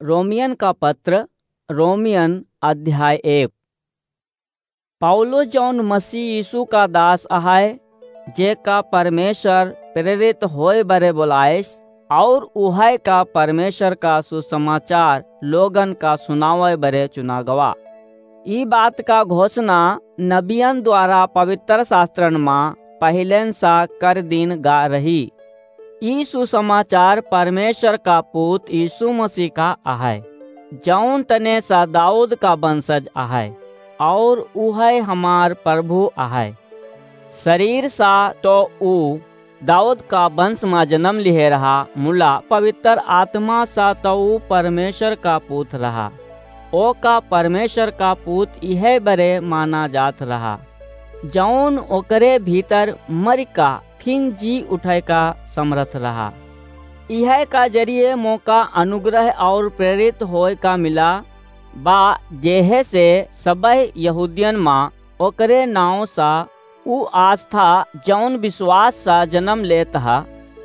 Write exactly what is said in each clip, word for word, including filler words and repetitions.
रोमियन का पत्र, रोमियन अध्याय एक। पौलुस जौन मसीह यीशु का दास अहै, जेका परमेश्वर प्रेरित होए बरे बोलाइस, और उहै का परमेश्वर का सुसमाचार लोगन का सुनावै बरे चुना गवा। ई बात का घोषणा नबियन द्वारा पवित्र शास्त्रन मा पहिलेन सा कर दीन गा रही। ई सुसमाचार परमेश्वर का पूत यीशु मसीह का अहै, जौन तने सा दाऊद का वंशज अहै, और उहै हमार प्रभु अहै। शरीर सा तो ऊ दाऊद का वंश मा जन्म लिहे रहा, मुला पवित्र आत्मा सा तो ऊ परमेश्वर का पूत रहा। ओका परमेश्वर का पूत इहै बरे माना जात रहा, जौन ओकरे भीतर मरि का फिन जी उठै का समरथ रहा। इहै का जरिए मोका अनुग्रह और प्रेरित होए का मिला बा, जेहे से सबै यहूदियन मा ओकरे नाव सा ऊ आस्था, जौन विश्वास सा जन्म लेत हा,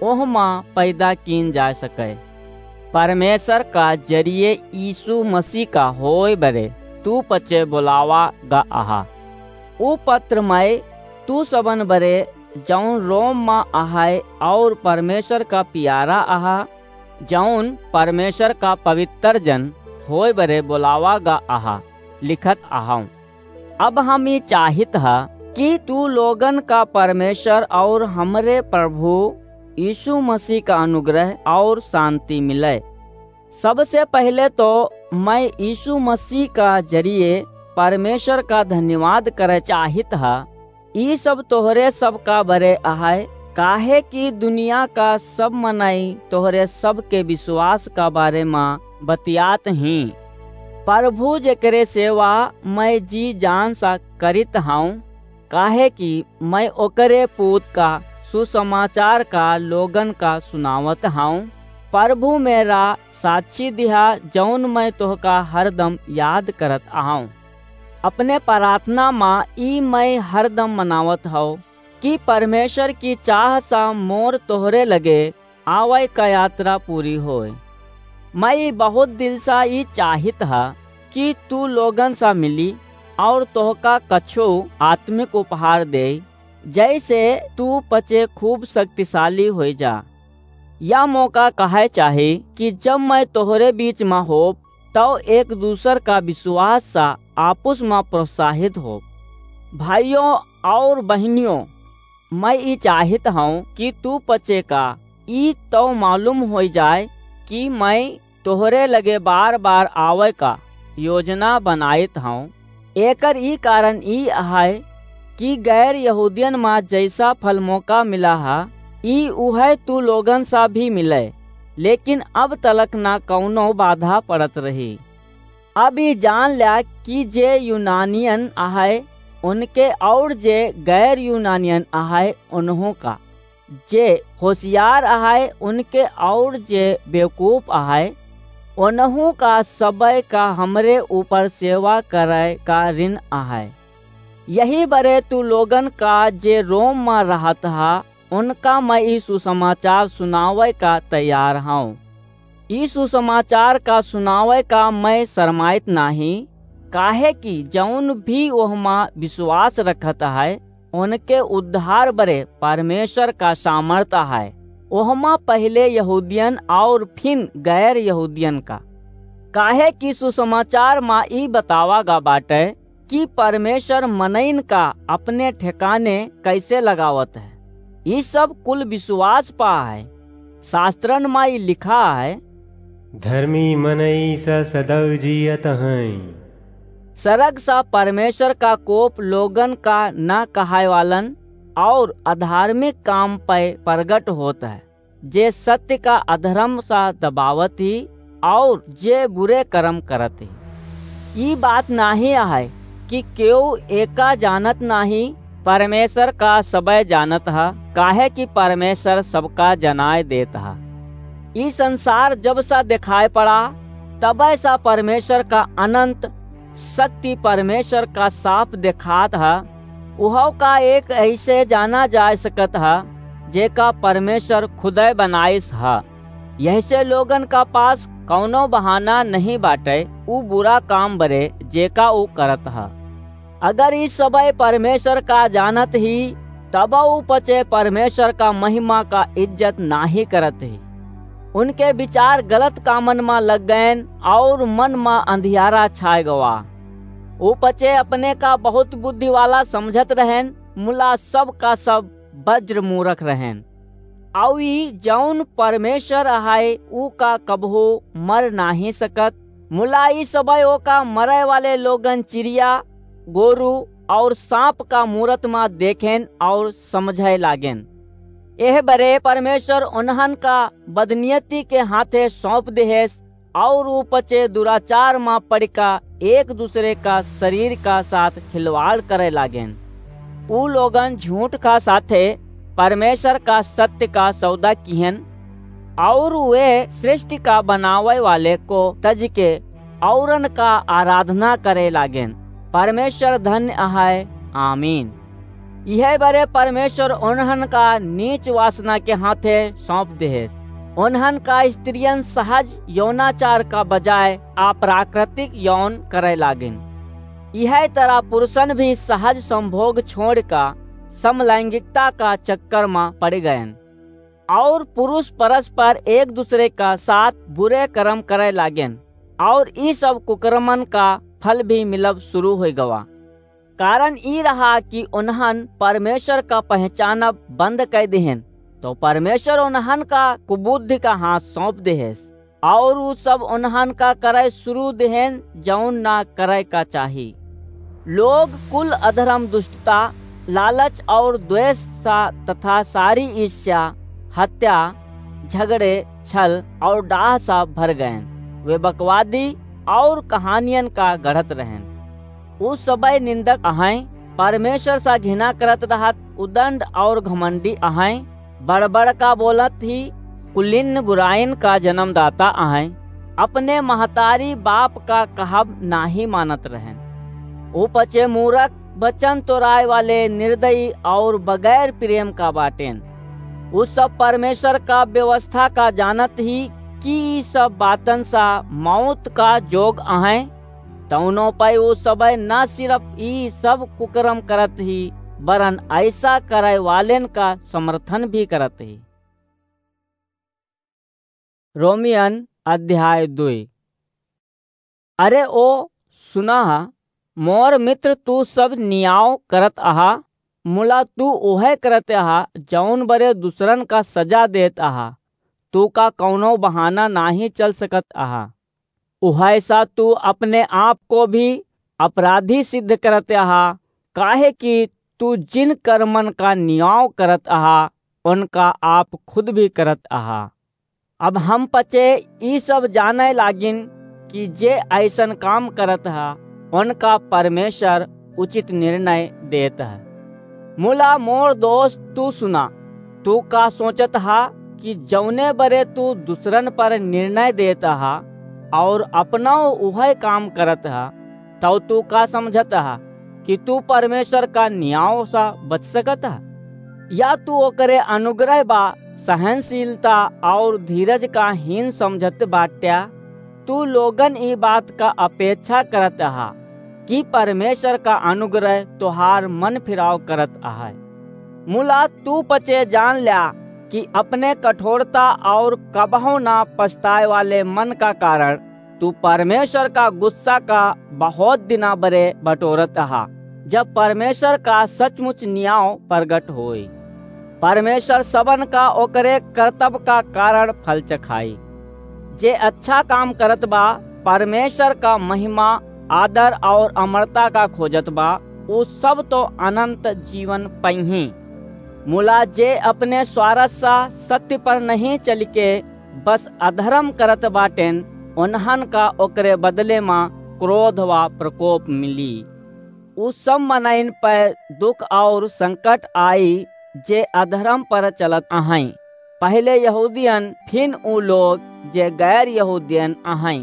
ओह मा पैदा कीन जा सकै। परमेश्वर का जरिए यीशु मसीह का होए बरे तू पचे बोलावा गा अहा। ऊ पत्र मै तू सबन बरे, जौन रोम मा अहै और परमेश्वर का पियारा अहा, जौन परमेश्वर का पवित्र जन होए बरे बोलावा गा अहा, लिखत अहौं। अब हम ई चाहित ह कि तू लोगन का परमेश्वर और हमरे प्रभु यीशु मसीह का अनुग्रह और शांति मिलै। सबसे पहिले तो मै यीशु मसीह का जरिए परमेश्वर का धन्यवाद करै चाहित ह। ई सब तोहरे सब का बरे अहै, काहे कि दुनिया का सब मनई तोहरे सब के विश्वास का बारे मा बतियात हीं। प्रभु जेकरे सेवा मै जी जान सा करित हौं, काहे कि मै ओकरे पूत का सुसमाचार का लोगन का सुनावत हौं। प्रभु मेरा साक्षी दिहा, जौन मै तोहका हरदम याद करत अहौं। अपने प्रार्थना मा ई मै हरदम मनावत हौं कि परमेश्वर की चाह सा मोर तोहरे लगे आवै का यात्रा पूरी होय। मै ई बहुत दिल सा ई चाहित ह कि तू लोगन सा मिली और तोहका कछो आत्मिक उपहार दे, जैसे तू पचे खूब शक्तिशाली होई जा। या मोका कहै चाही कि जब मै तोहरे बीच मा होब, तौ एक दूसर का विश्वास सा आपुस मा प्रोत्साहित होब। भाइयों और बहिनियों, मै ई चाहित हौं कि तू पचे का ई तौ मालूम होई जाए कि मै तोहरे लगे बार-बार आवै का योजना बनाइत हौं। एकर ई कारण ई अहै कि गैर यहूदियन मा जैसा फल मोका मिला हा, ई उहै तू लोगन सा भी मिलै, लेकिन अब तलक ना कौनो बाधा पड़त रही। अब ई जान ल्या कि जे यूनानियन अहै, उनके और जे गैर यूनानियन अहै, उन्हूँ का। जे होशियार अहै, उनके और जे बेवकूफ अहै, उन्हूँ का सबै का हमरे ऊपर सेवा करै का ऋण अहै। यही बरे तू लोगन का जे रोम मा रहत हा, उनका मै ई सुसमाचार सुनावै का तैयार हौं। ई सुसमाचार का सुनावै का मै शरमाइत नाहीं, काहे कि जौन भी ओहमा विश्वास रखत है, उनके उद्धार बरे परमेश्वर का सामर्थ है। ओहमा पहिले यहूदियन और फिन गैर यहूदियन का। काहे कि सुसमाचार मा ई बतावा गा बाटै कि परमेश्वर मनइन का अपने ठेकाने कैसे लगावत है। ई सब कुल विश्वास पा है। शास्त्रन मा ई लिखा है, धर्मी मनई स सदैव जियत हैं। सरग सा परमेश्वर का कोप लोगन का ना कहाय वालन और अधार्मिक काम पे प्रगट होत है, जे सत्य का अधर्म सा दबावत ही और जे बुरे कर्म करत ही। ई बात नाहीं है कि केहू एका जानत नाहीं, परमेश्वर का सबै जानत ह, काहे कि परमेश्वर सबका जनाय देत ह। ई संसार जब सा देखाय पड़ा, तबै सा परमेश्वर का अनंत शक्ति परमेश्वर का साफ देखात ह। उहौ का एक ऐसे जाना जा सकत ह, जेका परमेश्वर खुदै बनाइस ह। यहसे लोगन का पास कौनो बहाना नहीं बाटे ऊ बुरा काम बरे जेका ऊ करत ह। अगर ई सबय परमेश्वर का जानत ही, तब ऊ पचे परमेश्वर का महिमा का इज्जत नाही करत ही। उनके विचार गलत कामन मा लग गएन और मन मा अंधियारा छाय गवा। ऊ पचे अपने का बहुत बुद्धि वाला समझत रहेन, मुला सब का सब वज्र मूरख रहेन। अउ ई जौन परमेश्वर अहाय, ऊ का कबहू मर नाही सकत। मुला ई सबय ओका मरय वाले लोगन चिड़िया, गोरू और सांप का मूरत मा देखेन और समझय लागेन। एह बरे परमेश्वर उन्हन का बदनियती के हाथे सौंप देहेस, और ऊ पचे दुराचार मा पड़िका एक दूसरे का शरीर का साथ खिलवाड़ करे लागेन। ऊ लोगन झूठ का साथे परमेश्वर का सत्य का सौदा किहन, और वे सृष्टि का बनावे वाले को तज के औरन का आराधना करे लागेन। परमेश्वर धन्य अहाय। आमीन। इहे बरे परमेश्वर उन्हन का नीच वासना के हाथे सौंप देहेस। उन्हन का स्त्रियन सहज यौनाचार का बजाय अप्राकृतिक यौन करे लागिन। इहे तरह पुरुषन भी सहज संभोग छोड़ का समलैंगिकता का चक्कर मा पड़ गयन और पुरुष परस्पर एक दूसरे का साथ बुरे कर्म करे लागेन और ई सब कुकर्मन का फल भी मिलब शुरू हो गवा। कारण ई रहा कि उन्हन परमेश्वर का पहचानब बंद कर देहेन, तो परमेश्वर उन्हन का कुबुद्धि का हाथ सौंप देहेस, और ऊ सब उन्हन का करे शुरू देहेन, जौन ना करे का चाही। लोग कुल अधर्म, दुष्टता, लालच और द्वेष सा तथा सारी ईर्ष्या, हत्या, झगड़े, छल और डाह सा भर गएन। वे बकवादी और कहानियन का गढ़त रहेन। ऊ सबय निंदक अहैं, परमेश्वर सा घृणा करत रहत, उदंड और घमंडी अहैं, बड़बड़ का बोलत ही कुलीन बुराइन का जन्मदाता अहैं, अपने महतारी बाप का कहब नाही मानत रहेन। ऊ पचे मूरख, वचन तोड़ाए वाले, निर्दयी और बगैर प्रेम का बाटेन। ऊ सब परमेश्वर का व्यवस्था का जानत ही कि ई सब बातन सा मौत का जोग अहैं, तौनो पै ऊ सबय न सिर्फ ई सब कुकर्म करत ही, बरन ऐसा करे वालेन का समर्थन भी करत ही। रोमियन अध्याय दुई। अरे ओ सुना, मोर मित्र, तू सब नियाव करत अहा, मुला तू उहै करत अहा, जौन बरे दूसरन का सजा देत अहा। तू का कौनो बहाना नाही चल सकत अहा। उहै सा तू अपने आप को भी अपराधी सिद्ध करत अहा, काहे कि तू जिन कर्मन का नियाव करत अहा, उनका आप खुद भी करत अहा। अब हम पचे ई सब जाने लागिन कि जे ऐसन काम करत ह, उनका परमेश्वर उचित निर्णय देत ह। मुला मोर दोस्त, तू सुना, तू का सोचत ह कि जौने बरे तू दूसरन पर निर्णय देत ह और अपना उहै काम करत ह, तौ तू का समझत ह कि तू परमेश्वर का नियाव सा बच सकत ह? या तू ओकरे अनुग्रह बा सहनशीलता और धीरज का हीन समझत बाट्या? तू लोगन ई बात का अपेक्षा करत ह कि परमेश्वर का अनुग्रह तोहार मन फिराव करत अहै। मुला तू पचे जान ल्या कि अपने कठोरता और कबहु ना पछताए वाले मन का कारण तू परमेश्वर का गुस्सा का बहुत दिना बरे बटोरत अहा, जब परमेश्वर का सचमुच नियाव प्रगट होई। परमेश्वर सबन का ओकरे करतब का कारण फल चखाई। जे अच्छा काम करत बा, परमेश्वर का महिमा, आदर और अमरता का खोजत बा, ऊ सब तो अनंत जीवन पइहीं। मुला जे अपने स्वारथ सा सत्य पर नहीं चलिके बस अधर्म करत बाटेन, उन्हन का ओकरे बदले मा क्रोध वा प्रकोप मिली। उ सब मनइन पै दुख और संकट आई, जे अधर्म पर चलत अहैं। पहिले यहूदियन, फिन उ लोग जे गैर यहूदियन अहैं।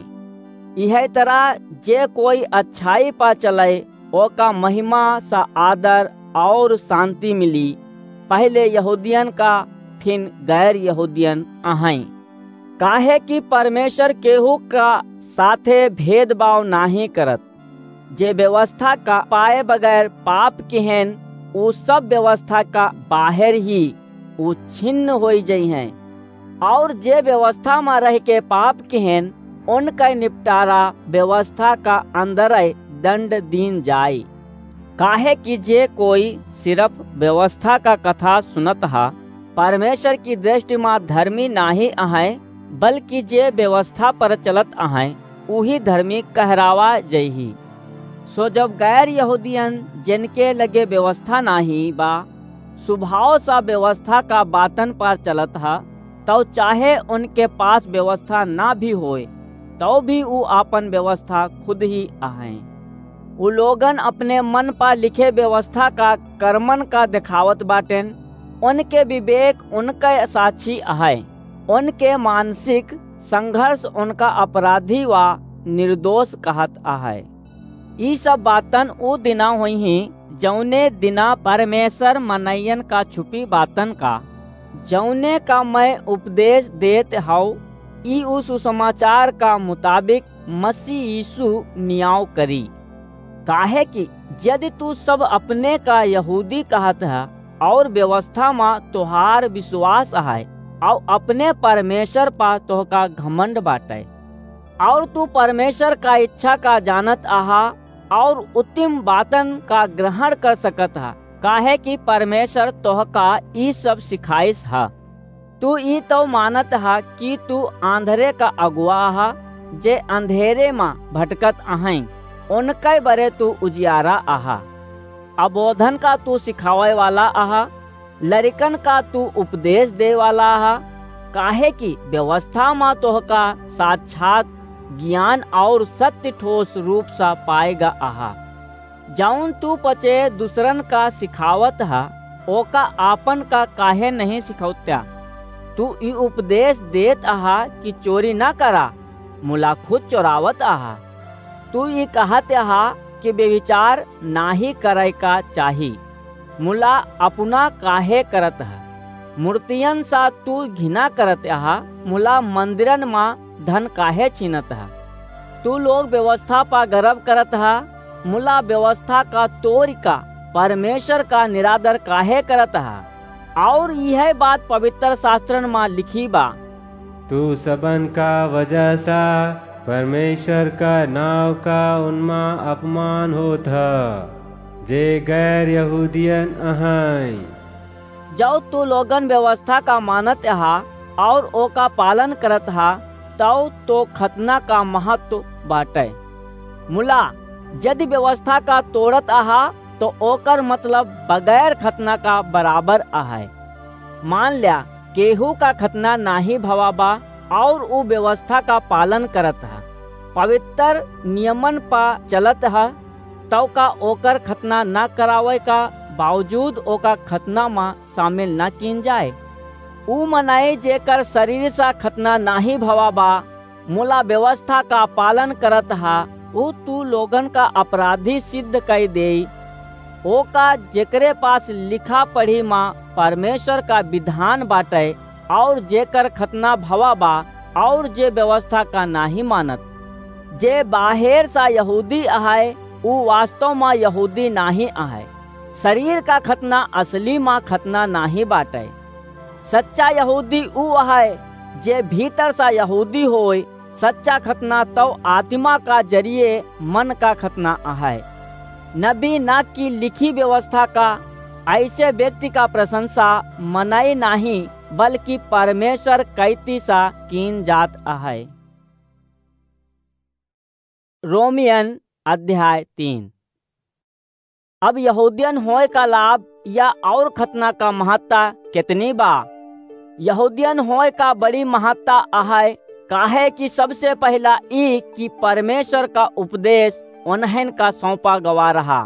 इहै तरह जे कोई अच्छाई पा चलै, ओका महिमा सा आदर और शांति मिली, पहिले यहूदियन का, फिन गैर यहूदियन अहैं। काहे कि परमेश्वर केहू का साथे भेदभाव नाहीं करत। जे व्यवस्था का पाए बगैर पाप किहेन, ऊ सब व्यवस्था का बाहर ही ऊ छिन्न होई जइहें। और जे व्यवस्था मा रह के पाप किहेन, उनका निपटारा व्यवस्था का अंदर दंड दीन जाई। काहे कि जे कोई सिर्फ व्यवस्था का कथा सुनत हा, परमेश्वर की दृष्टि मा धर्मी नाहीं अहै, बल्कि जे व्यवस्था पर चलत अहै, उही धर्मी कहरावा जइही। सो जब गैर यहूदियन, जिनके लगे व्यवस्था नाहीं बा, स्वभाव सा व्यवस्था का बातन पर चलत हा, तौ चाहे उनके पास व्यवस्था ना भी होए, तौ भी ऊ आपन व्यवस्था खुद ही अहैं। ऊ लोगन अपने मन पर लिखे व्यवस्था का कर्मन का देखावत बाटेन, उनके विवेक उनके साक्षी अहै, उनके मानसिक संघर्ष उनका अपराधी वा निर्दोष कहत अहै। ई सब बातन ऊ दिना होइहीं, जौने दिना परमेश्वर मनइयन का छुपी बातन का, जौने का मैं उपदेश देत हौ, ई ऊ सुसमाचार का मुताबिक मसीह यीशु नियाव करी। काहे कि यदि तू सब अपने का यहूदी कहत ह और व्यवस्था मा तोहार विश्वास है और अपने परमेश्वर पा तोहका घमंड बाटे, और तू परमेश्वर का इच्छा का जानत आहा और उत्तम बातन का ग्रहण कर सकत हा, काहे कि परमेश्वर तोहका ई सब सिखाइस हा। तू ई तो मानत हा कि तू आंधरे का अगुआ हा, जे अंधेरे मा भटकत अहैं, उनके बरे तू उजियारा आहा। अबोधन का तू सिखावे वाला आहा, लरिकन का तू उपदेश दे वाला आहा, काहे कि व्यवस्था मा तोहका साक्षात ज्ञान और सत्य ठोस रूप सा पाएगा आहा। जौन तू पचे दूसरन का सिखावत हा, ओका आपन का काहे नहीं सिखौत्या? तू ई उपदेश देत आहा कि चोरी ना करा, मुला खुद चोरावत आहा। तू ई कहत आहा कि व्यभिचार नाही करे का चाही, मुला अपना काहे करत हा? मूर्तियन सा तू घिना करत आहा, मुला मंदिरन मा धन काहे छीनत हा? तू लोग व्यवस्था पा गर्व करत हा, मुला व्यवस्था का तोड़ का परमेश्वर का निरादर काहे करत हा? और यह बात पवित्र शास्त्रन मा लिखी बा। तू सबन का वजह सा परमेश्वर का नाव का उनमा अपमान होत ह, जे गैर यहूदियन अहैं। जौ तू लोगन व्यवस्था का मानत हा और ओका पालन करत हा, तौ तो खतना का महत्व बाटे। मुला, यदि व्यवस्था का तोड़त आहा, तो ओकर मतलब बगैर खतना का बराबर अहै। मान ल्या, केहू का खतना नाही भवा बा और ऊ व्यवस्था का पालन करत हा, पवित्र नियमन पा चलत हा, तौ का ओकर खतना न करावे का बावजूद ओका खतना मा शामिल न कीन जाए? ऊ मनई जेकर शरीर सा खतना नाही भवा बा, मुला व्यवस्था का पालन करत हा, ऊ तू लोगन का अपराधी सिद्ध कई देई। ओका जेकरे पास लिखा पढ़ी मा परमेश्वर का विधान बाटे, और जेकर खतना भवा बा, और जे व्यवस्था का नाही मानत। जे बाहेर सा यहूदी अहै, ऊ वास्तव मा यहूदी नाही अहै। शरीर का खतना असली मा खतना नाही बाटे। सच्चा यहूदी ऊ अहै, जे भीतर सा यहूदी होय। सच्चा खतना तौ आत्मा का जरिए मन का खतना अहै। नबी ना की लिखी व्यवस्था का ऐसे व्यक्ति का प्रशंसा मनई नाही, बल्कि परमेश्वर कैती सा कीन जात अहै। रोमियन अध्याय तीन। अब यहूदियन होए का लाभ या और खतना का महत्ता कितनी बा? यहूदियन होए का बड़ी महत्ता अहै, काहे कि सबसे पहला ई कि परमेश्वर का उपदेश उन्हन का सौंपा गवा रहा।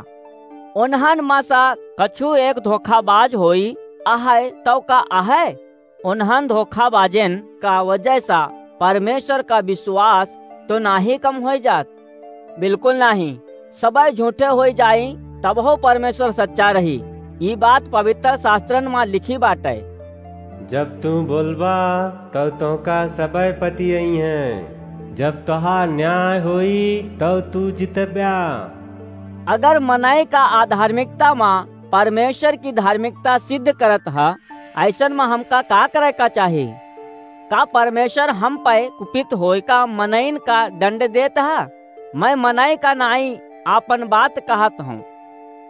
उन्हन मा सा कछु एक धोखाबाज होई अहै, तौ का अहै? उन्हन धोखाबाजन का वजह सा परमेश्वर का विश्वास तो नाही कम होई जात? बिल्कुल नाही। सबै झूठे होई जाई, तबहो परमेश्वर सच्चा रही। ई बात पवित्र शास्त्रन मा लिखी बाटे। जब तू बोलबा, तब तोहका सबय पति अइहैं। जब तोहार न्याय होई, तब तू जितब्या। अगर मनई का अधार्मिकता मा परमेश्वर की धार्मिकता सिद्ध करत ह, अइसन मा हमका का करे का चाही? का परमेश्वर हम पै कुपित होय का मनइन का दंड देत ह? मैं मनई का नाई आपन बात कहत हूँ।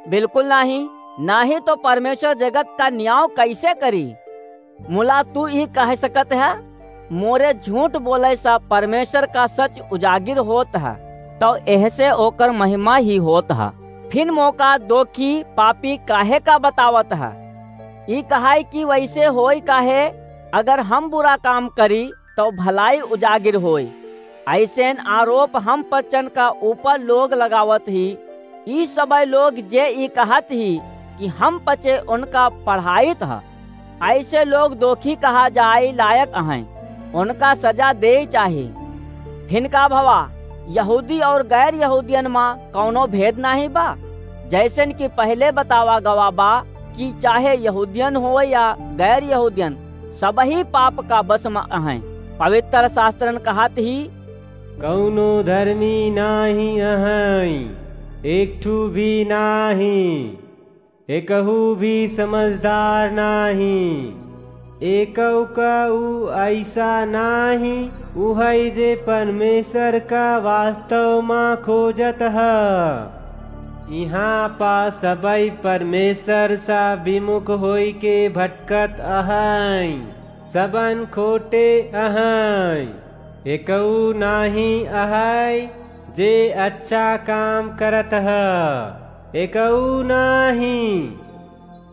बिल्कुल नाहीं, नाहीं तो परमेश्वर जगत का न्याय कैसे करी? मुला तू ई कह सकत ह, मोरे झूठ बोले सा परमेश्वर का सच उजागिर होत ह, तो एहसे ओकर महिमा ही होत ह। फिन मोका दोखी पापी काहे का बतावत ह? ई कहाई कि वैसे होई काहे, अगर हम बुरा काम करी, तो भलाई उजागिर होई। अइसेन आरोप हम पचन का ऊपर लोग लगावत ही। ई सबय लोग जे ई कहत ही कि हम पचे उनका पढ़ाइत ह, अइसे लोग दोखी कहा जाए लायक अहैं, उनका सजा देई चाही। फिन का भवा, यहूदी और गैर यहूदियन मा कौनो भेद नाहीं बा? जैसन कि पहले बतावा गवा बा कि चाहे यहूदियन होय या गैर यहूदियन, सबही पाप का बस मा अहैं। पवित्र शास्त्रन कहत ही, कौनो धर्मी नाहीं अहैं, एक ठू भी नाहीं, एकहू भी समझदार नाहीं। एकौ का ऊ अइसा नाहीं, उहै जे परमेश्वर का वास्तव मा खोजत ह। इहाँ पा सबई परमेश्वर सा विमुख होई के भटकत अहैं, सबन खोटे अहैं। एकऊ नाहीं अहै जे अच्छा काम करत ह, एकऊ नाहीं।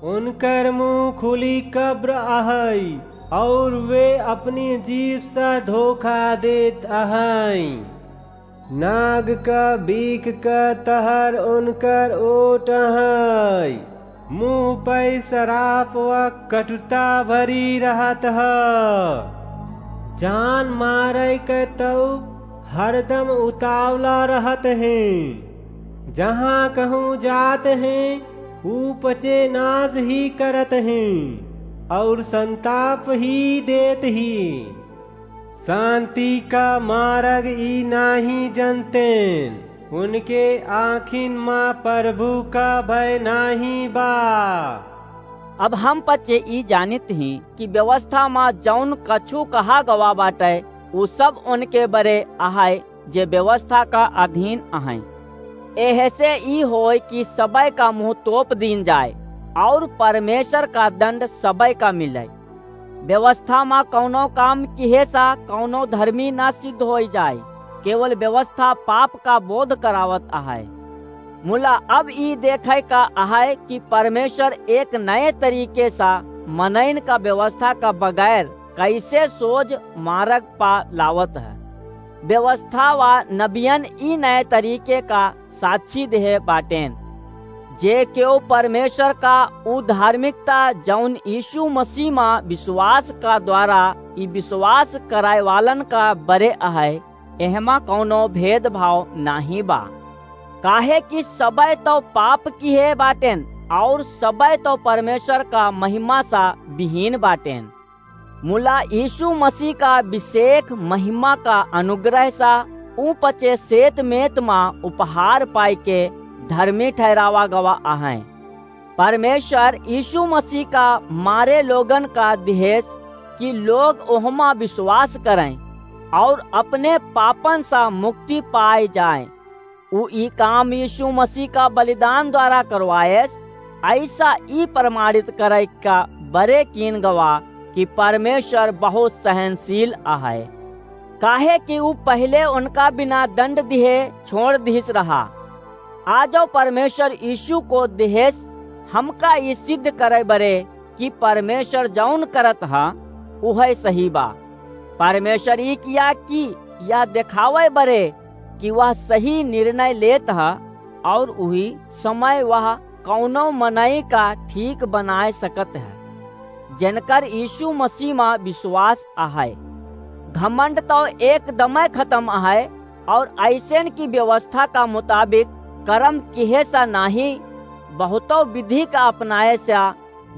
उनकर मुँह खुली कब्र अहै, और वे अपनी जीभ सा धोखा देत अहैं। नाग का बीख का तहर उनकर ओट अहै। मुँह पै सराप व कटुता भरी रहत ह। जान मारै क तौ हरदम उतावला रहत हैं। जहाँ कहूँ जात हैं, ऊ पचे नाज ही करत हैं और संताप ही देत ही। शांति का मारग ई नाहीं जनतेन, उनके आँखिन मा प्रभु का भय नाहीं बा। अब हम पचे ई जानित ही कि व्यवस्था मा जौन कछु कहा गवा बाटै, उ सब उनके बरे अहै, जे व्यवस्था का अधीन अहैं। एहसे ई होय कि सबै का मुँह तोप दीन जाय और परमेश्वर का दंड सबै का मिलै। व्यवस्था मा कौनो काम किहे सा कौनो धर्मी ना सिद्ध होई जाय, केवल व्यवस्था पाप का बोध करावत अहै। मुला अब ई देखै का अहै कि परमेश्वर एक नए तरीके सा मनइन का व्यवस्था का बगैर कैसे सोझ मारग पा लावत ह। व्यवस्था वा नबियन ई नए तरीके का साक्षी देहे बाटेन। जे केव परमेश्वर का उ धार्मिकता जौन यीशु मसीह मा विश्वास का द्वारा ई विश्वास कराए वालन का बरे अहै, एहमा कौनो भेदभाव नाहीं बा। काहे कि सबै तौ पाप किहे बाटेन और सबै तौ परमेश्वर का महिमा सा विहीन बाटेन। मुला यीशु मसीह का विशेष महिमा का अनुग्रह सा ऊ पचे सेत मेत मा उपहार पाई के धर्मी ठहरावा गवा अहैं। परमेश्वर यीशु मसीह का मारे लोगन का दिहेस कि लोग ओहमा विश्वास करैं और अपने पापन सा मुक्ति पाए जाएँ। ऊ ई काम यीशु मसीह का बलिदान द्वारा करवाएस, अइसा ई प्रमाणित करै का बरे कीन गवा कि परमेश्वर बहुत सहनशील अहै, काहे कि ऊ पहिले उनका बिना दंड दिहे छोड़ दिहिस रहा। आजो परमेश्वर यीशु को दिहेस हमका ई सिद्ध करै बरे कि परमेश्वर जौन करत ह, उहै सही बा। परमेश्वर ई किया कि यह देखावै बरे कि वह सही निर्णय लेत ह और उही समय वह कौनो मनई का ठीक बनाए सकत ह, जेनकर यीशु मसीह मा विश्वास अहै। घमंड तौ एकदमै खतम अहै और अइसेन की व्यवस्था का मुताबिक करम किहे सा नाहीं, बहुतौ विधि का अपनाए सा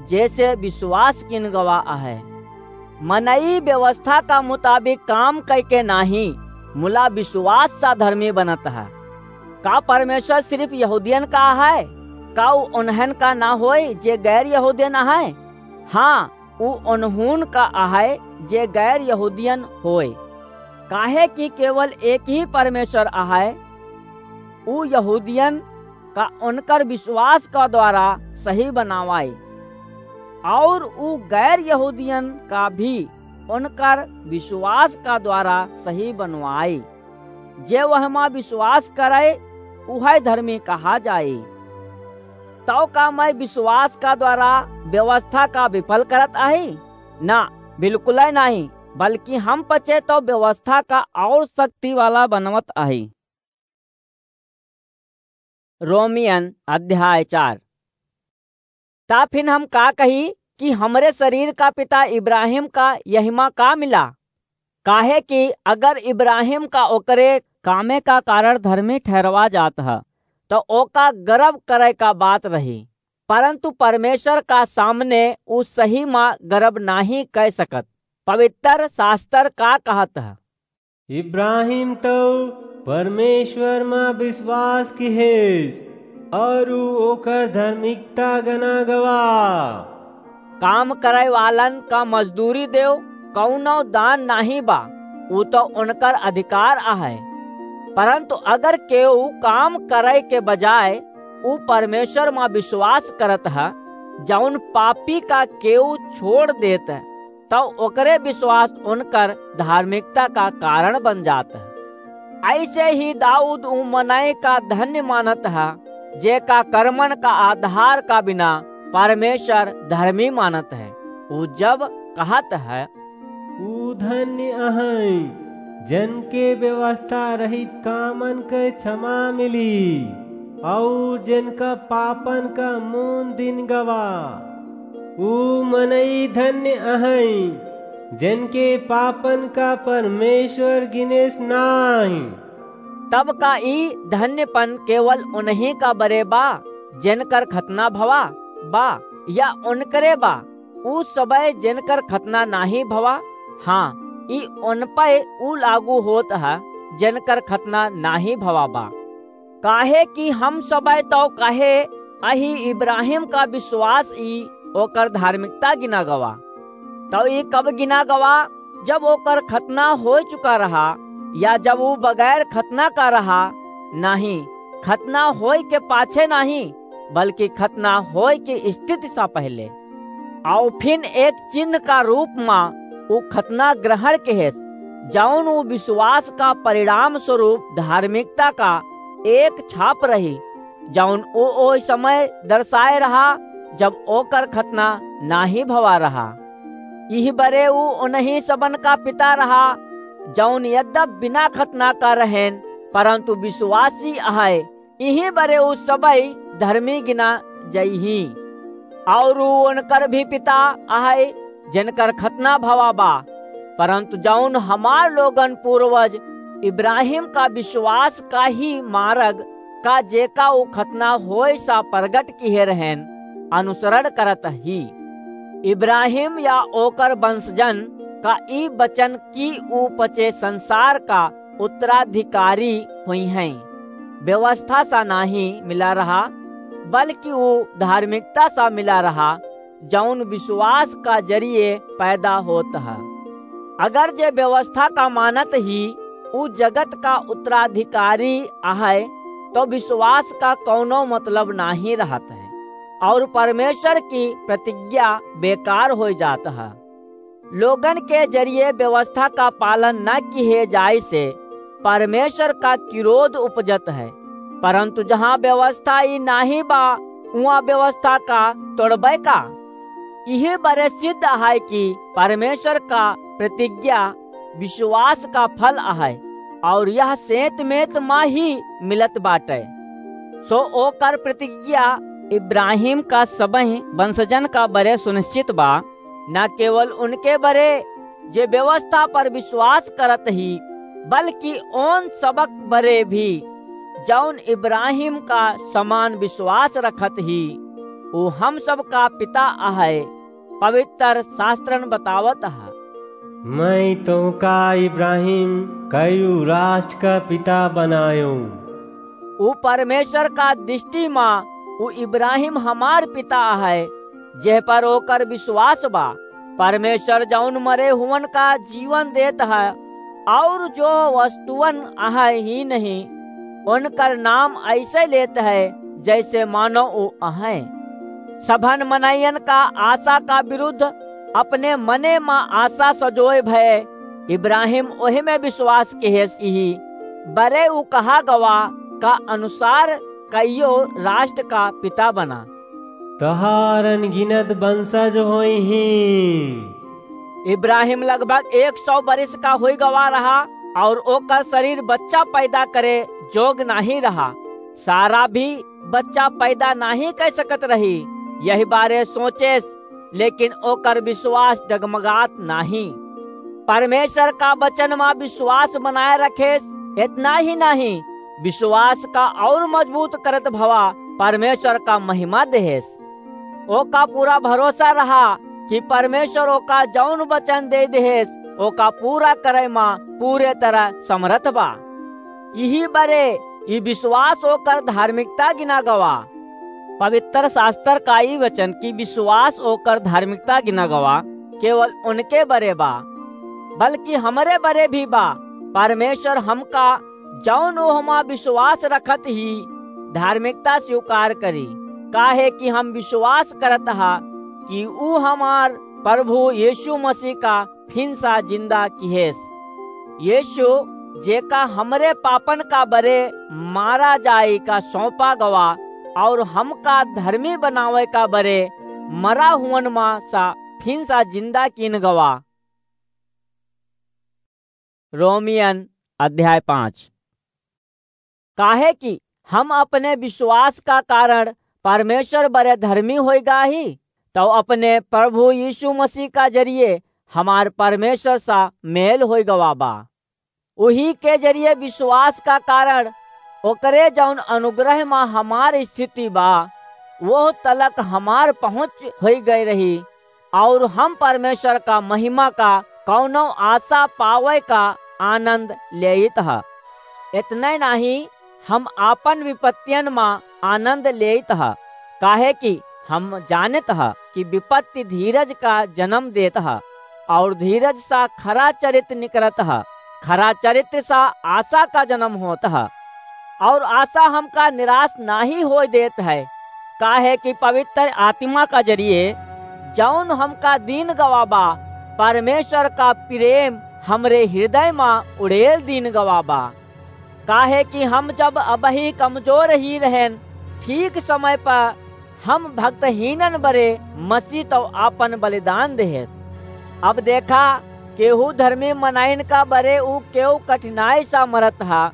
जैसे विश्वास किन गवा अहै। मनई व्यवस्था का मुताबिक काम कइके नाहीं, मुला विश्वास सा धर्मी बनत है। का परमेश्वर सिर्फ यहूदियन का है? का उ उन्हन का ना होय जे गैर यहूदियन है? हाँ, उ उन्हून का अहै जे गैर यहूदियन होय, काहे कि केवल एक ही परमेश्वर अहै। उ यहूदियन का उनकर विश्वास का द्वारा सही बनावाई, और उ गैर यहूदियन का भी उनकर विश्वास का द्वारा सही बनवाई। जे वहमा विश्वास करे, उहै धर्मी कहा जाई। तौ का मैं विश्वास का द्वारा व्यवस्था का विफल करत आही? ना, बिल्कुलै नाहीं, बल्कि हम पचे तौ व्यवस्था का और शक्ति वाला बनवत आही। रोमियन अध्याय चार। ता फिन हम का कही कि हमरे शरीर का पिता इब्राहिम का यहिमा का मिला? काहे कि अगर इब्राहिम का ओकरे कामे का कारण धर्मी ठहरवा जात ह, त ओका गर्व करे का बात रही, परंतु परमेश्वर का सामने उ सही मा गर्व नाहीं कै सकत। पवित्र शास्त्र का कहत ह? इब्राहिम तौ परमेश्वर मा विश्वास किहेस, और उ ओकर धार्मिकता गना गवा। काम करे वालन का मजदूरी देव कौनो दान नाहीं बा, उ तौ उनकर अधिकार अहै। परंतु अगर केहू काम करे के बजाय उ परमेश्वर मा विश्वास करत ह, जौन पापी का केहू छोड़ देत, तौ ओकरे विश्वास उनकर धार्मिकता का कारण बन जात ह। ऐसे ही दाऊद उ मनई का धन्य मानत ह, जेका कर्मन का आधार का बिना परमेश्वर धर्मी मानत है। उ जब कहत है, "उ धन्य अहैं, जन के व्यवस्था रहित कामन के क्षमा मिली, और जिनका पापन का मून दिन गवा।" उ मनई धन्य अहैं, जिनके पापन का परमेश्वर गिनेस नाहीं। तब का ई धन्यपन केवल उन्हीं का बरे बा, जिनकर खतना भवा बा, या उनकरे बा? उ सबय जिनकर खतना नाहीं भवा, हाँ, ई उन पै उ लागू होत ह, जिनकर खतना नाहीं भवा बा। काहे कि हम सबय तौ कहे अही इब्राहिम का विश्वास ई ओकर धार्मिकता गिना गवा। तौ ई कब गिना गवा? जब ओकर खतना हो चुका रहा, या जब उ बगैर खतना का रहा? नाहीं, खतना होय के पाछे नाहीं, बल्कि खतना होय के स्थिति सा पहले। और फिन एक चिन्ह का रूप मा उ खतना ग्रहण किहेस, जौन उ विश्वास का परिणाम स्वरूप धार्मिकता का एक छाप रही, जौन उ ओह समय दर्शाए रहा, जब ओकर खतना नाहीं भवा रहा। इही बरे उ उन्हीं सबन का पिता रहा, जौन यद्यप बिना खतना का रहेन, परंतु विश्वासी अहै। इही बरे उ सबई धर्मी गिना जइहीं। और उ उनकर भी पिता अहै, जिनकर खतना भवा बा, परंतु जौन हमार लोगन पूर्वज इब्राहिम का विश्वास का ही मारग का, जेका उ खतना होय सा प्रगट किहे रहेन, अनुसरण करत ही। इब्राहिम या ओकर वंशजन का ई वचन कि उ पचे संसार का उत्तराधिकारी हुइहैं, व्यवस्था सा नाहीं मिला रहा, बल्कि उ धार्मिकता सा मिला रहा, जौन विश्वास का जरिए पैदा होत ह। अगर जे व्यवस्था का मानत ही उ जगत का उत्तराधिकारी अहै, तौ विश्वास का कौनो मतलब नाहीं रहत है, और परमेश्वर की प्रतिज्ञा बेकार होइ जात ह। लोगन के जरिए व्यवस्था का पालन न किहे जाए से परमेश्वर का क्रोध उपजत है, परंतु जहाँ व्यवस्था ई नाहीं बा, उहाँ व्यवस्था का तोड़बै का? इहे बरे सिद्ध है कि परमेश्वर का प्रतिज्ञा विश्वास का फल अहै, और यह सेंत मेंत मा ही मिलत बाटै। सो ओकर प्रतिज्ञा इब्राहिम का सबही वंशजन का बरे सुनिश्चित बा, न केवल उनके बरे जे व्यवस्था पर विश्वास करत ही, बल्कि ओन सबक बरे भी, जौन इब्राहिम का समान विश्वास रखत ही, उ हम सबका पिता अहै। पवित्र शास्त्रन बतावत ह, "मैं तोहका इब्राहिम कयू राष्ट्र का पिता बनायो।" उ परमेश्वर का दृष्टि मा उ इब्राहिम हमार पिता है, जेह पर ओकर विश्वास बा। परमेश्वर जौन मरे हुवन का जीवन देत है, और जो वस्तुअन अहै ही नहीं, उनकर नाम ऐसे लेत है, जैसे मानो उ अहै। सभन मनइयन का आशा का विरुद्ध अपने मने मा आशा सजोए भय इब्राहिम ओह में विश्वास किहेस, इही बरे उ कहा गवा का अनुसार कइयो राष्ट्र का पिता बना। "तोहार अनगिनत वंशज होइहीं।" इब्राहिम लगभग एक सौ बरिस का होई गवा रहा, और ओकर शरीर बच्चा पैदा करे जोग नाहीं रहा। सारा भी बच्चा पैदा नाहीं कर सकत रही। यही बारे सोचेस, लेकिन ओकर विश्वास डगमगात नाहीं। परमेश्वर का वचन मा विश्वास बनाए रखेस, इतना ही नाहीं, विश्वास का और मजबूत करत भवा परमेश्वर का महिमा देहेस। ओका पूरा भरोसा रहा कि परमेश्वर ओका जौन वचन दे देहेस, ओका पूरा करे मा पूरे तरह समर्थ बा। इही बरे ई विश्वास ओकर धार्मिकता गिना गवा। पवित्र शास्त्र का ई वचन कि विश्वास ओकर धार्मिकता गिना गवा, केवल उनके बरे बा, बल्कि हमरे बरे भी बा। परमेश्वर हमका जौन ओहमा विश्वास रखत ही धार्मिकता स्वीकार करी, काहे कि हम विश्वास करत हा कि ऊ हमार प्रभु यीशु मसीह का फिन सा जिंदा किहेस। यीशु जेका हमरे पापन का बरे मारा जाए का सौंपा गवा और हमका धर्मी बनावे का बरे मरा हुअन मा सा फिन सा जिंदा कीन गवा। रोमियन अध्याय पाँच। काहे कि हम अपने विश्वास का कारण परमेश्वर बरे धर्मी होई गा ही, तो अपने प्रभु यीशु मसीह का जरिए हमार परमेश्वर सा मेल होई गवा बा। उही के जरिए विश्वास का कारण ओकरे जौन अनुग्रह मा हमार स्थिति बा, वो तलक हमार पहुँच होई गए रही, और हम परमेश्वर का महिमा का कौनो आशा पावे का आनंद लेइत ह। इतने नाही, हम आपन विपत्तियन मा आनंद लेइत ह, काहे कि हम जानत ह कि विपत्ति धीरज का जन्म देत ह, और धीरज सा खरा चरित्र निकलत ह, खरा चरित्र सा आशा का जन्म होत ह, और आशा हमका निराश नाही होए देत है, काहे कि पवित्र आत्मा का जरिए जौन हमका दीन गवा बा, परमेश्वर का प्रेम हमरे हृदय मा उड़ेल दीन गवा बा। काहे कि हम जब अबही कमजोर ही रहेन, ठीक समय पर हम भक्तहीनन बरे मसीह तो आपन बलिदान देहेस। अब देखा, केहू धर्मी मनाइन का बरे ऊ केहू कठिनाई सा मरत हा,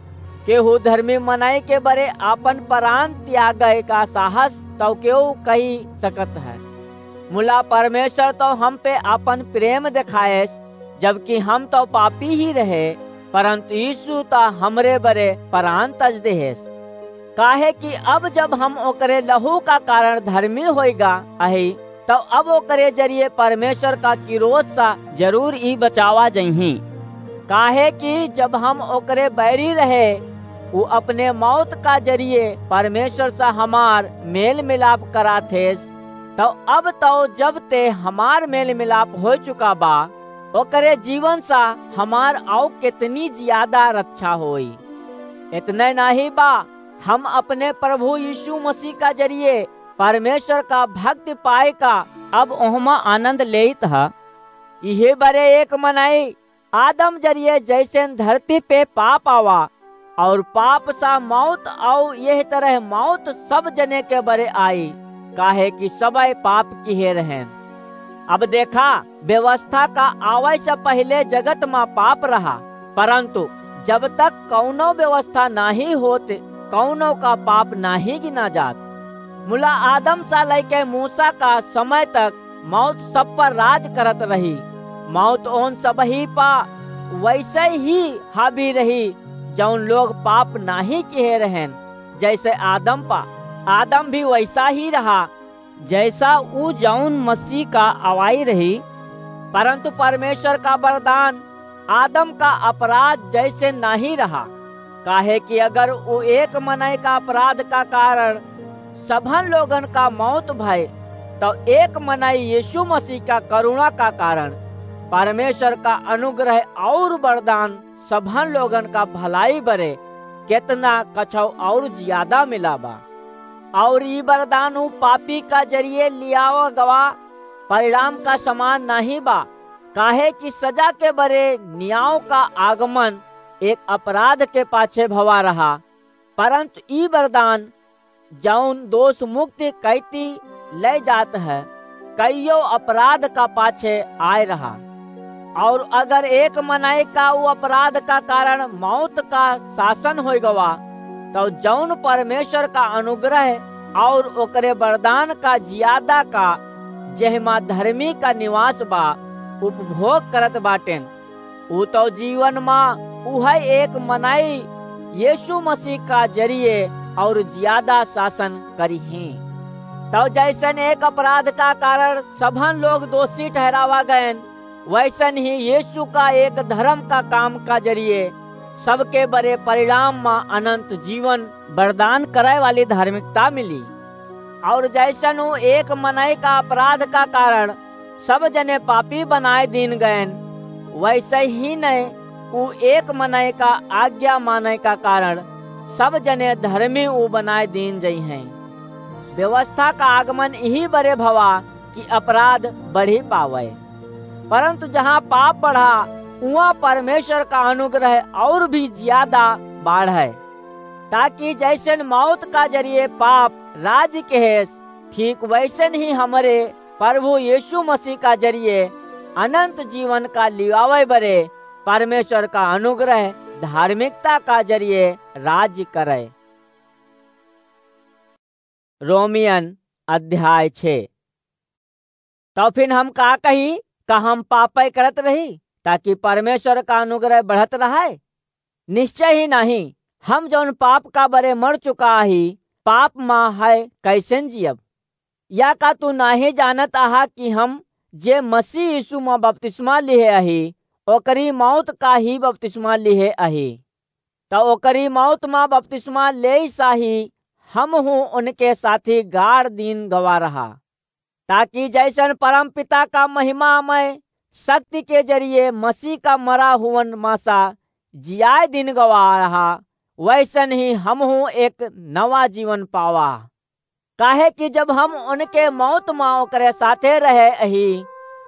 केहू धर्मी मनाई के बरे आपन प्राण त्यागे का साहस तो केहू कही सकत है। मुला परमेश्वर तो हम पे आपन प्रेम देखाएस, जबकि हम तो पापी ही रहे, परंतु यीशु तो हमरे बरे प्राण तज देहेस। काहे कि अब जब हम ओकरे लहू का कारण धर्मी होइगा अही, तो अब ओकरे जरिए परमेश्वर का किरोध सा जरूर ई बचावा जइहीं। काहे कि जब हम ओकरे बैरी रहे, उ अपने मौत का जरिए परमेश्वर सा हमार मेल मिलाप करा थेस, तो अब तो जब ते हमार मेल मिलाप हो चुका बा, ओकरे जीवन सा हमार आउ कितनी ज्यादा रक्षा होई। इतने नाही बा, हम अपने प्रभु यीशु मसीह का जरिए परमेश्वर का भक्ति पाए का अब ओहमा आनंद लेइत ह। इहे बरे एक मनई आदम जरिए जैसेन धरती पे पाप आवा, और पाप सा मौत, और यह तरह मौत सब जने के बरे आई, काहे कि सबय पाप किहे रहेन। अब देखा, व्यवस्था का आवै से पहिले जगत मा पाप रहा, परंतु जब तक कौनो व्यवस्था नाही होत, कौनो का पाप नाही गिना जात। मुला आदम सा लैके मूसा का समय तक मौत सब पर राज करत रही। मौत ओन सबही पा वैसे ही हावी रही, जौन लोग पाप नाही किहे रहेन, जैसे आदम पा। आदम भी वैसा ही रहा, जैसा ऊ जौन मसीह का अवाई रही। परंतु परमेश्वर का वरदान आदम का अपराध जैसे नाहीं रहा, काहे कि अगर उ एक मनई का अपराध का कारण सभन लोगन का मौत भय, तउ एक मनई यीशु मसीह का करुणा का कारण परमेश्वर का अनुग्रह अउर वरदान सभन लोगन का भलाई बरे केतना कछौ अउर जियादा मिला बा। अउर ई वरदान उ पापी का जरिये लियावा गवा परिणाम का समान नाहीं बा, काहे कि सजा के बरे न्याव का आगमन एक अपराध के पाछे भवा रहा, परंतु ई वरदान जौन दोष मुक्ति कैती लै जात है, कइयो अपराध का पाछे आय रहा। अउर अगर एक मनई का उ अपराध का कारण मौत का शासन होइ गवा, तउ जौन परमेश्वर का अनुग्रह अउर ओकरे वरदान का जियादा का जेहमा धर्मी का निवास बा, उपभोग करत बाटेन, उ तउ जीवन मा उहै एक मनई यीशु मसीह का जरिये अउर जियादा शासन करिहीं। तउ जैसन एक अपराध का कारण सभन लोग दोषी ठहरावा गएन, वैसन ही यीशु का एक धर्म का काम का जरिये सबके बरे परिणाम मा अनंत जीवन वरदान करै वाली धार्मिकता मिली। अउर जैसन उ एक मनई का अपराध का कारण सब जने पापी बनाय दीन गएन, वैसे ही नै उ एक मनई का आज्ञा मानै का कारण सब जने धर्मी उ बनाय दीन जइहैं। व्यवस्था का आगमन इही बरे भवा कि अपराध बढ़ी पावै, परंतु जहाँ पाप बढ़ा, उहाँ परमेश्वर का अनुग्रह अउर भी जियादा बाढ़ै, ताकि जैसन मौत का जरिये पाप राज किहेस, ठीक वैसन ही हमरे प्रभु यीशु मसीह का जरिये अनंत जीवन का लियावै बरे परमेश्वर का अनुग्रह धार्मिकता का जरिये राज करै। रोमियन अध्याय छे। तउ फिन हम का कही? का हम पापै करत रही, ताकि परमेश्वर का अनुग्रह बढ़त रहै? निश्चय ही नाहीं। हम जौन पाप का बरे मर चुका ही, पाप मा है कैसन जियब? या का तू नाहीं जानत अहा कि हम जे मसीह यीशु मा बपतिस्मा लिहे अही, ओकरी मौत का ही बपतिस्मा लिहे अही? तउ ओकरी मौत मा बपतिस्मा लेइ सा ही हमहूँ उनके साथी गाड़ दीन गवा रहा, ताकि जैसन परमपिता का महिमामय शक्ति के जरिये मसीह का मरा हुवन मा सा जियाय दीन गवा रहा, वैसन ही हमहूँ एक नवा जीवन पावा। काहे कि जब हम उनके मौत मा ओकरे साथे रहे अही,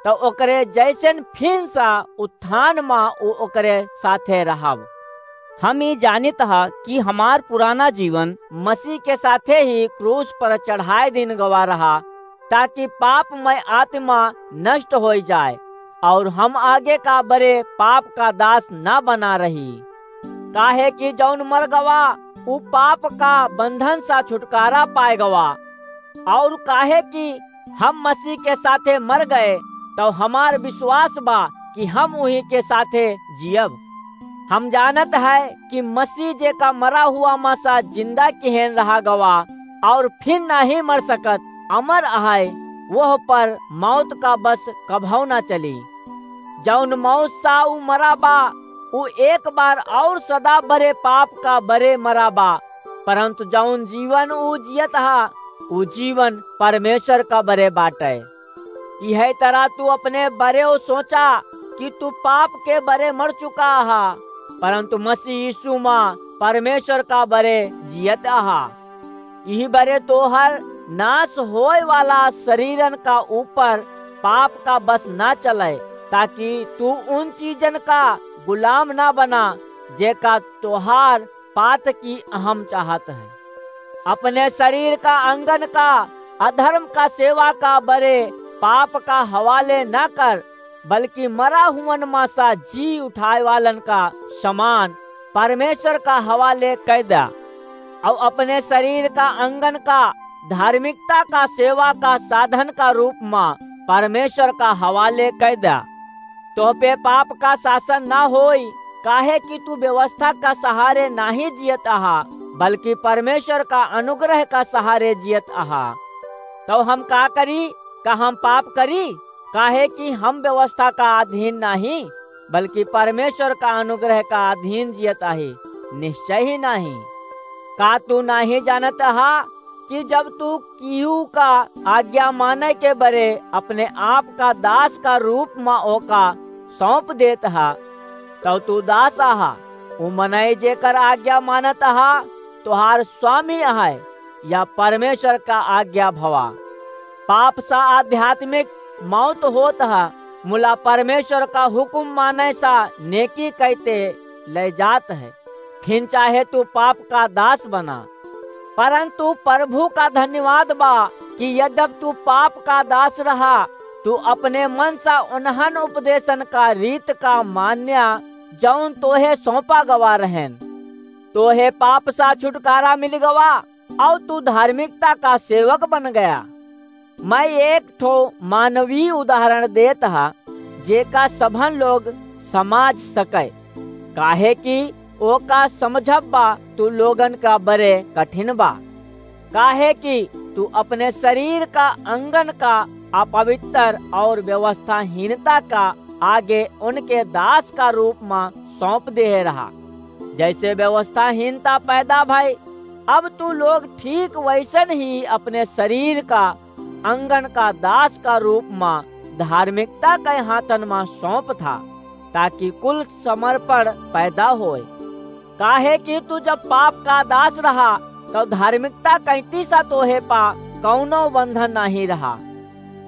तउ ओकरे जैसन फिन सा उत्थान मा उ ओकरे साथे रहब। हम ई जानित ह कि हमार पुराना जीवन मसीह के साथे ही क्रूस पर चढ़ाय दीन गवा रहा, ताकि पापमय आत्मा नष्ट होइ जाय अउर हम आगे का बरे पाप का दास न बना रही। काहे कि जौन मर गवा, उ पाप का बंधन सा छुटकारा पाय गवा। अउर काहे कि हम मसीह के साथे मर गए, तउ हमार विश्वास बा कि हम उही के साथे जियब। हम जानत है कि मसीह जेका मरा हुआ मा सा जिंदा किहेन रहा गवा, अउर फिन नाहीं मर सकत, अमर अहै, वह पर मौत का बस कभौ ना चली। जौन मौत सा उ मरा बा, उ एक बार अउर सदा बरे पाप का बरे मरा बा, परंतु जौन जीवन उ जियत हा, उ जीवन परमेश्वर का बरे बाटै। इहै तरह तू अपने बरे उ सोचा कि तू पाप के बरे मर चुका हा, परंतु मसीह यीशु मा परमेश्वर का बरे जियत हा। इही बरे तोहर नाश होय वाला शरीरन का ऊपर पाप का बस ना चलै, ताकि तू उन चीजन का गुलाम ना बना, जेका तोहार पात की अहम चाहत है। अपने शरीर का अंगन का अधर्म का सेवा का बरे पाप का हवाले ना कर, बल्कि मरा हुवन मा सा जी उठाय वालन का समान परमेश्वर का हवाले कै द्या, अउर अपने शरीर का अंगन का धार्मिकता का सेवा का साधन का रूप मा परमेश्वर का हवाले कै द्या। तोह पे पाप का शासन ना होई, काहे कि तू व्यवस्था का सहारे नाहीं जियत अहा, बल्कि परमेश्वर का अनुग्रह का सहारे जियत अहा। तउ हम का करी? का हम पाप करी? काहे कि हम व्यवस्था का अधीन नाहीं, बल्कि परमेश्वर का अनुग्रह का अधीन जियत आही, निश्चय ही नाहीं। का तू नाहीं जानत हा कि जब तू किहू का आज्ञा माने के बरे अपने आप का दास का रूप मा ओका सौंप देत हा, तब तू दास आहा। उ मनई जेकर आज्ञा मानत आहा, तोहार स्वामी अहै, या परमेश्वर का आज्ञा भवा। पाप सा आध्यात्मिक मौत होत ह, मुला परमेश्वर का हुकुम माने सा नेकी कहते ले जात है। फिन चाहे तू पाप का दास बना, परंतु प्रभु का धन्यवाद बा कि यद्यप तू पाप का दास रहा, तू अपने मन सा उन्हन उपदेशन का रीत का मान्या, जौन तोहे सौंपा गवा रहन। तोहे पाप सा छुटकारा मिल गवा, और तू धार्मिकता का सेवक बन गया। मैं एक ठो मानवीय उदाहरण देत हा, जेका सभन लोग समाज सके, काहे कि ओका समझब बा तू लोगन का बरे कठिन बा। काहे कि तू अपने शरीर का अंगन का अपवित्र और व्यवस्थाहीनता का आगे उनके दास का रूप मा सौंप देहे रहा। जैसे व्यवस्थाहीनता पैदा भई, अब तू लोग ठीक वैसन ही अपने शरीर का अंगन का दास का रूप मा धार्मिकता के हाथन मा सौंप था, ताकि कुल समर्पण पैदा होए। काहे कि तू जब पाप का दास रहा, तब धार्मिकता कैती सा तोहे पा कौनो बंधन नहीं रहा।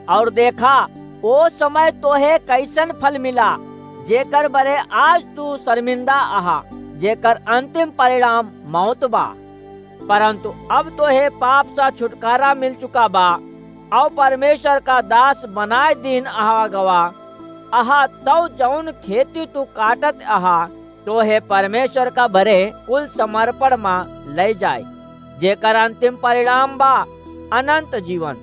और देखा, ओ समय तोहे कैसन फल मिला, जेकर बरे आज तू शर्मिंदा आहा, जेकर अंतिम परिणाम मौत बा। परंतु अब तोहे पाप सा छुटकारा मिल चुका बा, और परमेश्वर का दास बनाए दीन आहा गवा। आहा, तौ जौन खेती तू काटत आहा, तोहे परमेश्वर का बरे कुल समर्पण मा ले जाए, जेकर अंतिम परिणाम बा अनंत जीवन।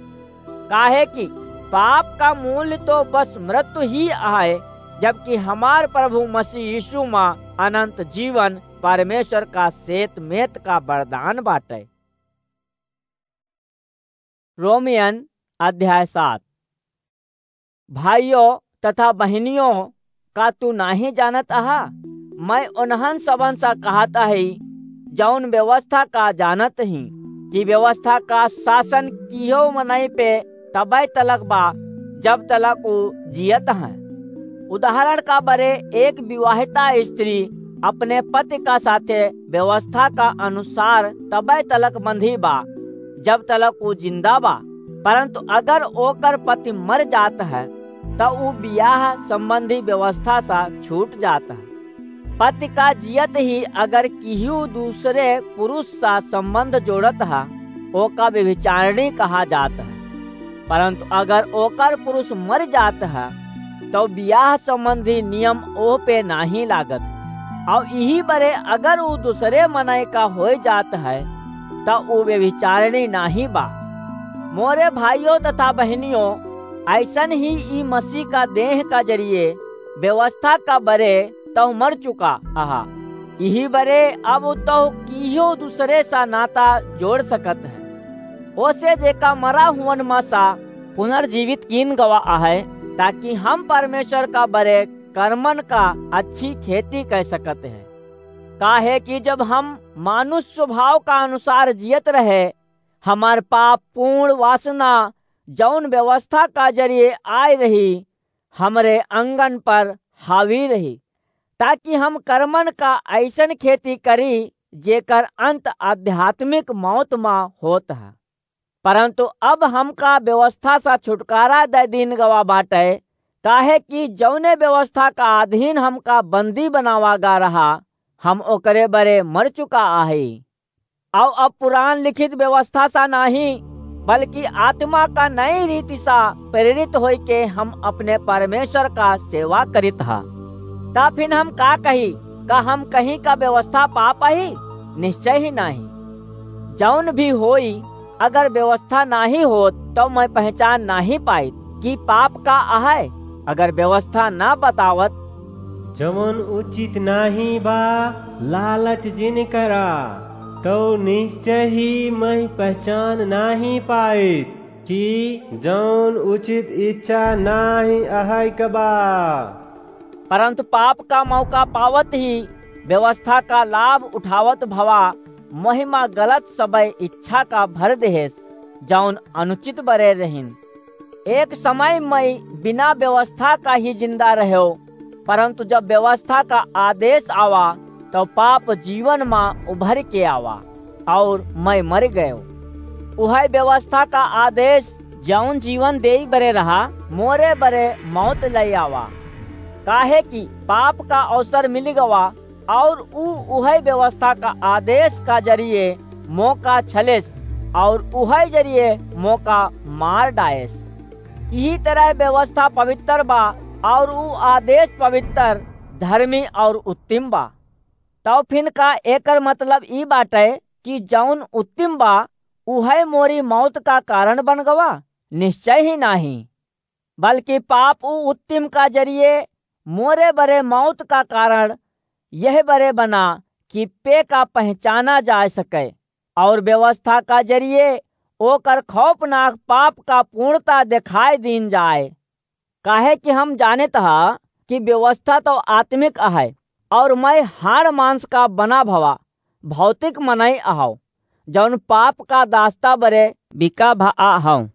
काहे कि पाप का मूल्य तो बस मृत्यु ही आए, जबकि हमार प्रभु मसीह यीशु मा अनंत जीवन परमेश्वर का सेत मेत का वरदान बाटे। रोमियन अध्याय सात। भाइयों तथा बहिनियों, का तू नाहीं जानत आहा? मैं उन्हन सबन सा कहत आही, जौन व्यवस्था का जानत ही, कि व्यवस्था का शासन किहो मनई पे तबै तलक बा, जब तलक ऊ जियत हैं। उदाहरण का बरे, एक विवाहिता स्त्री अपने पति का साथे व्यवस्था का अनुसार तबै तलक बंधी बा, जब तलक ऊ जिंदा बा। परंतु अगर ओकर पति मर जात है, त ऊ बियाह संबंधी व्यवस्था सा छूट जात है। पति का जियत ही अगर किहू दूसरे पुरुष सा संबंध जोड़त है, ओका व्यभिचारिणी कहा जात है। परंतु अगर ओकर पुरुष मर जात है, तो बियाह संबंधी नियम ओह पे नाहीं लागत। और इही बरे अगर ऊ दूसरे मनय का होय जात है, त ऊ व्यभिचारिणी नाहीं बा। मोरे भाइयों तथा बहिनियों, ऐसन ही ई मसीह का देह का जरिए व्यवस्था का बरे तौ मर चुका आहा। इही बरे अब तौ किहो दूसरे सा नाता जोड़ सकत है। ओसे जेका मरा हुअन मा सा पुनर्जीवित कीन गवा आहे, ताकि हम परमेश्वर का बरे कर्मन का अच्छी खेती कह सकत है। काहे कि जब हम मानुष स्वभाव का अनुसार जियत रहे, हमार पाप पूर्ण वासना जौन व्यवस्था का जरिए आय रही, हमरे अंगन पर हावी रही, ताकि हम कर्मन का ऐसन खेती करी, जेकर अंत आध्यात्मिक मौत मा होत है। परंतु अब हमका व्यवस्था सा छुटकारा दे दीन गवा बाटे, काहे कि जौने व्यवस्था का अधीन हमका बंदी बनावा गा रहा, हम ओकरे बरे मर चुका आही। अउ अब पुरान लिखित व्यवस्था सा नाहीं, बल्कि आत्मा का नई रीति सा प्रेरित होई के हम अपने परमेश्वर का सेवा करित हा। ता फिन हम का कही? का हम कहीं का व्यवस्था पा पाही? निश्चय ही नाहीं। जौन भी होई, अगर व्यवस्था नाहीं होत, तो मैं पहचान नाहीं पाइत कि पाप का आहे, अगर व्यवस्था ना बतावत। जवन उचित नाहीं बा, लालच जिन करा, तो निश्चय ही मैं पहचान नाहीं पाइत। कि जौन उचित इच्छा नाहीं अहइ क बा। परंतु पाप का मौका पावत ही व्यवस्था का लाभ उठावत भवा मोहिमा गलत सबइ इच्छा का भर देहेस, जौन अनुचित बरे रहिन। एक समय मइँ बिना व्यवस्था का ही जिंदा रहेव, परंतु जब व्यवस्था का आदेश आवा, तब पाप जीवन मा उभरि के आवा, अउर मइँ मरि गएव। उहइ व्यवस्था का आदेश, जौन जीवन देइ बरे रहा, मोरे बरे मौत लइ आवा। काहे कि पाप का अवसर मिलि गवा, अउर ऊ उहइ व्यवस्था का आदेश का जरिए मोका छलेस, अउर उहइ जरिए मोका मार डाएस। इही तरह व्यवस्था पवित्र बा, अउर ऊ आदेश पवित्र, धर्मी अउर उत्तम बा। तब फिन का एकर मतलब ई बाटइ कि जौन उत्तम बा, उहइ मोरी मौत का कारण बन गवा? निश्चय ही नाहीं। बल्कि पाप ऊ उत्तम का जरिए मोरे बरे मौत का कारण यह बरे बना कि पे का पहचाना जा सके, अउर व्यवस्था का जरिए ओकर खौफनाक पाप का पूर्णता देखाइ दीन जाए। काहे कि हम जानित ह कि व्यवस्था तउ आत्मिक अहइ, अउर मइँ हाड़ मांस का बना भवा भौतिक मनई अहौं, जौन पाप का दासता बरे बिका भआ हौं।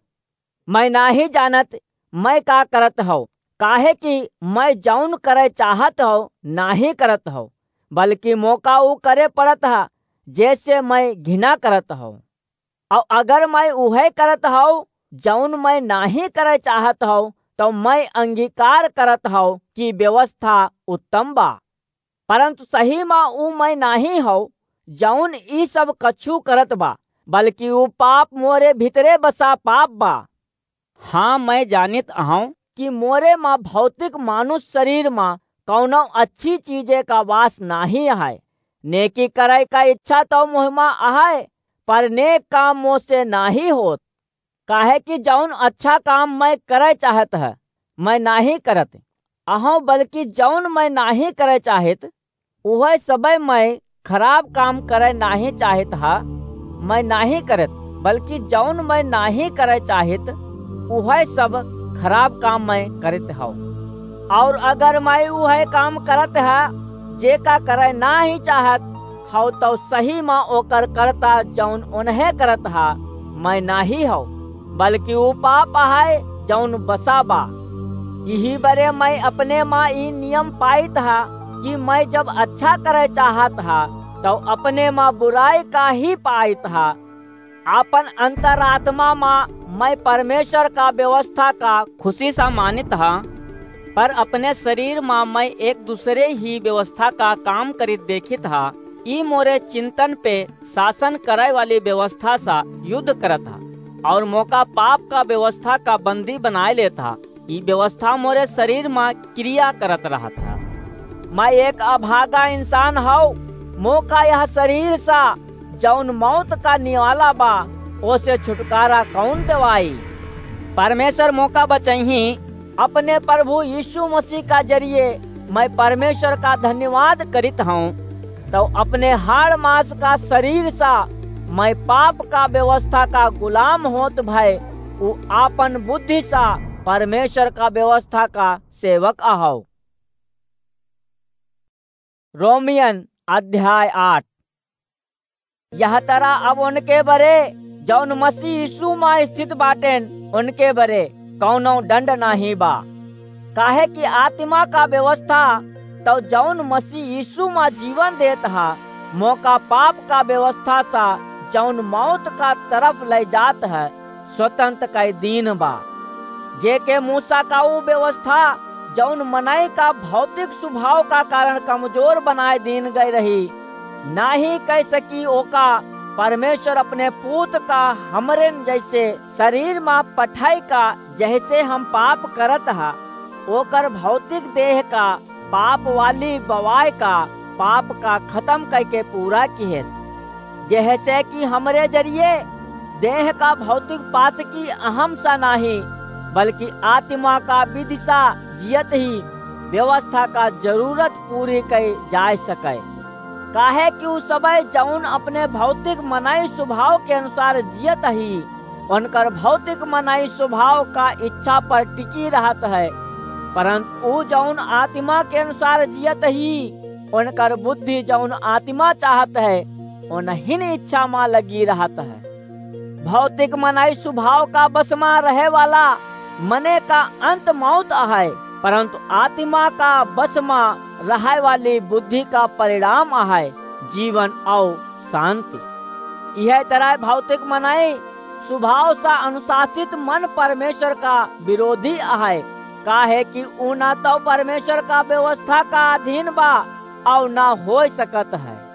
मइँ नाहीं जानत मइँ का करत हौं, काहे कि मइँ जौन करइ चाहत हौं, नाहीं करत हौं, बल्कि मोका ऊ करे पड़त ह, जेसे मइँ घिना करत हौं। अउर अगर मइँ उहइ करत हौं, जौन मइँ नाहीं करइ चाहत हौं, तउ मइँ अंगीकार करत हौं कि व्यवस्था उत्तम बा। परंतु सही मा ऊ मइँ नाहीं हौं, जौन ई सब कछु करत बा, बल्कि ऊ पाप मोरे भीतरे बसा पाप बा। हाँ, मइँ जानित अहौं कि मोरे मा भौतिक मानुष सरीर मा कउनो अच्छी चीजे का वास नाहीं अहइ। नेकी करइ का इच्छा तउ मोहिमा अहइ, पर नेक काम मोसे नाहीं होत। काहे कि जौन अच्छा काम मइँ करइ चाहत ह, मइँ नाहीं करत अहौं, बल्कि जौन मइँ नाहीं करइ चाहित, उहइ सबइ मइँ खराब काम करइ नाहीं चाहित ह, मइँ नाहीं करत, बल्कि जौन मइँ नाहीं करइ चाहित, उहइ सब खराब काम मइँ करित हौं। अउर अगर मइँ उहइ काम करत ह, जेका करइ नाहीं चाहत हौं, तउ सही मा ओकर करता जौन ओनहे करत ह, मइँ नाहीं हौं, बल्कि ऊ पाप अहइ, जौन बसा बा। इही बरे मइँ अपने मा ई नियम पाइत ह कि मइँ जब अच्छा करइ चाहत ह, तउ अपने मा बुराई का ही पाइत ह। आपन अंतरात्मा मा मइँ परमेश्वर का व्यवस्था का खुसी सा मानित ह, पर अपने सरीर मा मइँ एक दुसरे ही व्यवस्था का काम करित देखित ह। ई मोरे चिंतन पे सासन करइ वाली व्यवस्था सा युद्ध करत ह, अउर मोका पाप का व्यवस्था का बंदी बनाइ लेत ह। ई व्यवस्था मोरे सरीर मा क्रिया करत रहत ह। मइँ एक अभागा इंसान हौं, मोका यह सरीर सा, जौन मौत का निवाला बा, ओसे छुटकारा कउन देवाई? परमेश्वर मोका बचइहीं, अपने प्रभु यीशु मसीह का जरिए मइँ परमेश्वर का धन्यवाद करित हौं। तउ अपने हाड़ मांस का सरीर सा मइँ पाप का व्यवस्था का गुलाम होत भए ऊ आपन बुद्धि सा परमेश्वर का व्यवस्था का सेवक अहौ। रोमियन अध्याय आठ। यह तरह अब उनके बरे जौन मसीह यीशु मा स्थित बाटेन, उनके बरे कौनो दंड नाहीं बा। काहे कि आत्मा का व्यवस्था तौ जौन मसीह यीशु मा जीवन देत हा, मोका पाप का व्यवस्था सा जौन मौत का तरफ लै जात है, स्वतंत्र कै दीन बा। जेके मूसा का ऊ व्यवस्था जौन मनई का भौतिक स्वभाव का कारण कमजोर बनाए दीन गै रही, नाहीं कै सकी ओका परमेश्वर अपने पूत का हमरेन जैसे शरीर मा पठाई का, जैसे हम पाप करत हा, ओकर भौतिक देह का पाप वाली बवाय का पाप का खतम कैके पूरा किहेस, जेहसे कि हमरे जरिए देह का भौतिक पात की अहम सा नाहीं, बल्कि आत्मा का विधि सा जियत ही व्यवस्था का जरूरत पूरी कै जाय सकै। काहे कि ऊ सबै जौन अपने भौतिक मनई स्वभाव के अनुसार जियत ही, उनकर भौतिक मनई स्वभाव का इच्छा पर टिकी रहत है, परंतु ऊ जौन आत्मा के अनुसार जियत ही, उनकर बुद्धि जौन आत्मा चाहत है, उनहिन इच्छा मा लगी रहत है। भौतिक मनई स्वभाव का बस मा रहे वाला मने का अंत मौत अहै, परंतु आत्मा का बस मा रहै वाली बुद्धि का परिणाम अहै जीवन और शांति। इहै तरह भौतिक मनई स्वभाव सा अनुशासित मन परमेश्वर का विरोधी अहै, काहे कि ऊ ना तो परमेश्वर का व्यवस्था का अधीन बा और ना हो सकत है।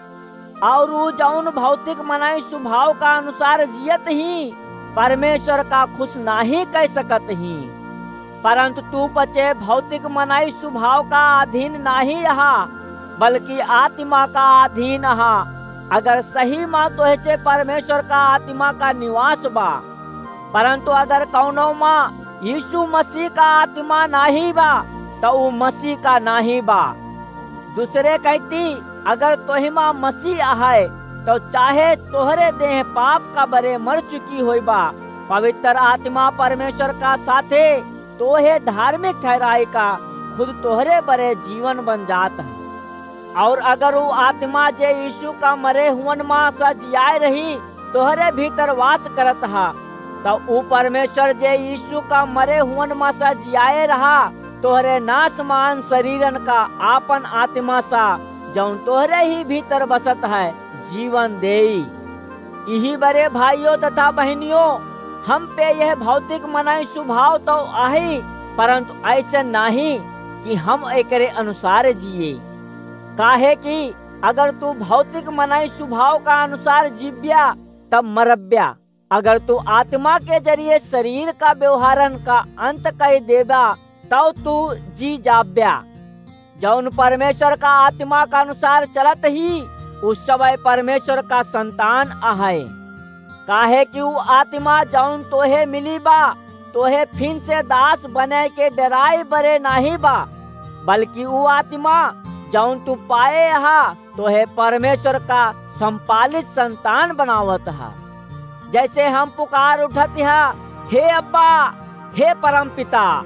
और ऊ जौन भौतिक मनई स्वभाव का अनुसार जियत ही, परमेश्वर का खुश नाही कह सकत ही। परंतु तू पचे भौतिक मनई स्वभाव का अधीन नाही अहा, बल्कि आत्मा का अधीन अहा। अगर सही मा तोहसे परमेश्वर का आत्मा का निवास बा, परंतु अगर कौनो मा यीशु मसीह का आत्मा नाही बा, तो ऊ मसीह का नाही बा। दूसरे कहती, अगर तोहिमा मसीह अहै, तो चाहे तोहरे देह पाप का बरे मर चुकी होई बा, पवित्र आत्मा परमेश्वर का साथे तोहे धार्मिक ठहराई का खुद तोहरे बरे जीवन बन जात है। और अगर ऊ आत्मा जे यीशु का मरे हुअन मा सा जियाए रही, तोहरे भीतर वास करत हा, त ऊ परमेश्वर जे यीशु का मरे हुअन मा सा जियाए रहा, तोहरे नासमान शरीरन का आपन आत्मा सा, जौन तोहरे ही भीतर बसत है, जीवन देई। इही बरे भाइयों तथा बहनियों, हम पे यह भौतिक मनई स्वभाव तो आही, परंतु ऐसे नाही कि हम एकरे अनुसार जिए। काहे कि अगर तू भौतिक मनई स्वभाव का अनुसार जीव्या, तब मरब्या। अगर तू आत्मा के जरिए शरीर का व्यवहारन का अंत कइ देबा, तब तू जी जाब्या। जौन परमेश्वर का आत्मा का अनुसार चलत ही, उ सबइ परमेश्वर का संतान अहइ। काहे कि उ आत्मा जौन तोहे मिली बा, तोहे फिन से दास बने के डेराए बरे नाहीं बा, बल्कि उ आत्मा जौन तू पाए हा, तोहे परमेश्वर का संपालित संतान बनावत हा। जैसे हम पुकार उठत हा, "हे अब्बा, हे परम पिता,"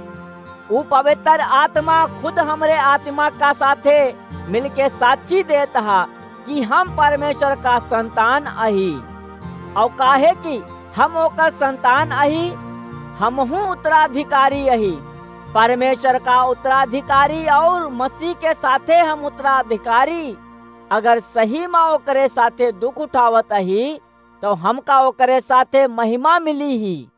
उ पवित्र आत्मा खुद हमरे आत्मा का साथे मिलके साक्षी देत हा कि हम परमेश्वर का संतान अही। और काहे कि हम ओकर संतान अही, हमहू उत्तराधिकारी अही। परमेश्वर का उत्तराधिकारी और मसीह के साथे हम उत्तराधिकारी। अगर सही मा ओकरे साथे दुख उठावत अही, तो हमका ओकरे साथे महिमा मिली ही।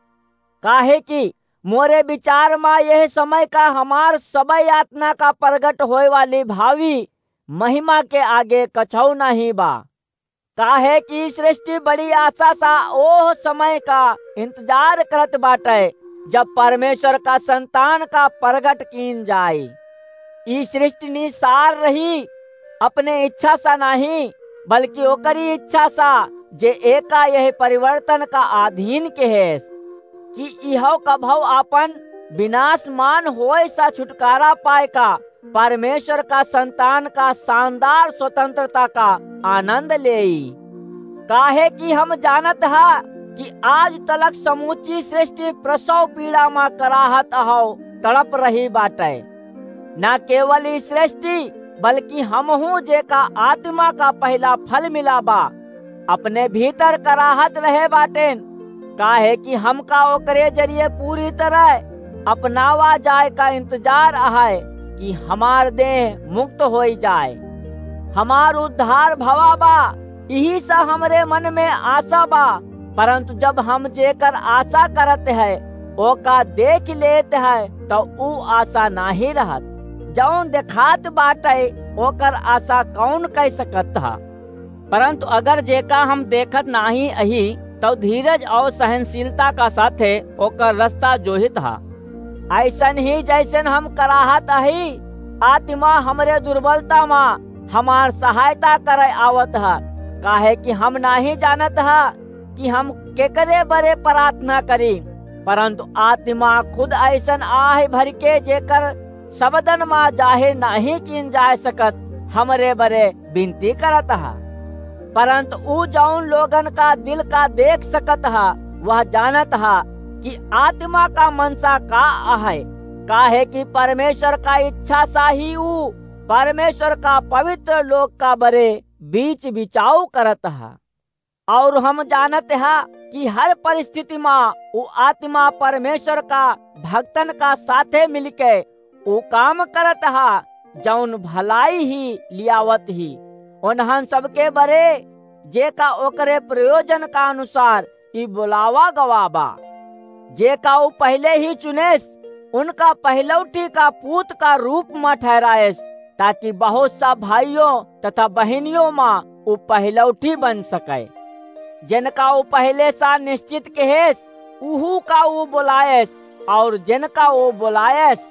काहे कि मोरे विचार मा यह समय का हमार सबइ यातना का प्रगट होए वाली भावी महिमा के आगे कछऊ नाहीं बा। काहे कि सृष्टि बड़ी आशा सा ओह समय का इंतजार करत बाटे, जब परमेश्वर का संतान का प्रगट कीन जाए। ई सृष्टि निसार रही, अपने इच्छा सा नाहीं, बल्कि ओकरी इच्छा सा, जे एका यह परिवर्तन का अधीन के है, कि इहो कभौ आपन विनाशमान होए सा छुटकारा पाए का परमेश्वर का संतान का शानदार स्वतंत्रता का आनंद लेई। काहे कि हम जानत हा कि आज तलक समूची सृष्टि प्रसव पीड़ा मा कराहत अहौ तड़प रही बाटे। ना केवल ई सृष्टि, बल्कि हमहू जेका आत्मा का पहिला फल मिला बा, अपने भीतर कराहत रहे बाटेन, काहे कि हमका ओकरे जरिए पूरी तरह अपनावा जाए का इंतजार अहै कि हमार देह मुक्त होई जाए। हमार उद्धार भवा बा, इही सा हमरे मन में आशा बा, परंतु जब हम जेकर आशा करत है, ओका देख लेत है, तो ऊ आशा नाहीं रहत। जौन देखात बाटे, ओकर आशा कौन कइ सकत हा? परंतु अगर जेका हम देखत नाहीं अही, तउ धीरज और सहनशीलता का साथे ओकर रस्ता जोहित हा। अइसन ही जइसन हम कराहत अही, आत्मा हमरे दुर्बलता मा हमार सहायता करे आवत हा, काहे कि हम नाहीं जानत हा कि हम केकरे बरे प्रार्थना करी, परंतु आत्मा खुद अइसन आह भरिके जेकर शब्दन मा जाहिर नाहीं कीन जाए सकत, हमरे बरे बिनती करत हा। परंतु ऊ जौन लोगन का दिल का देख सकत हा, वह जानत हा कि आत्मा का मनसा का अहै, काहे कि परमेश्वर का इच्छा सा ही ऊ परमेश्वर का पवित्र लोग का बरे बीच बिचाव करत हा। और हम जानत हा कि हर परिस्थिति मा ऊ आत्मा परमेश्वर का भक्तन का साथे मिलके ऊ काम करत हा, जौन भलाई ही लियावत ही। उन्हन सबके बरे, जेका ओकरे प्रयोजन का अनुसार ई बुलावा गवा बा। जेका ऊ पहिले ही चुनेस, उनका पहिलौठी का पूत का रूप मा ठहराएस, ताकि बहुत सा भाइयों तथा बहिनियों मा ऊ पहिलौठी बन सके। जिनका ऊ पहिले सा निश्चित किहेस, उहू का ऊ बुलाएस, और जिनका ऊ बुलाएस,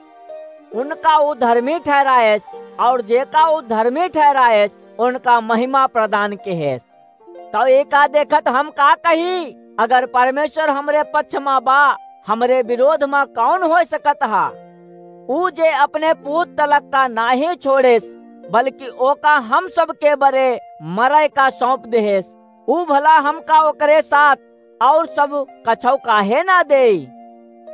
उनका ऊ धर्मी ठहराएस, और जेका ऊ धर्मी ठहराएस, उनका महिमा प्रदान किहेस। तो एका देखत हम का कही? अगर परमेश्वर हमरे पक्ष मा बा, हमरे विरोध मा कौन होइ सकत हा? ऊ जे अपने पूत तलक का नाहीं छोड़ेस, बल्कि ओका हम सबके बरे मरय का सौंप देहेस, ऊ भला हमका ओकरे साथ और सब कछौ काहे ना देई?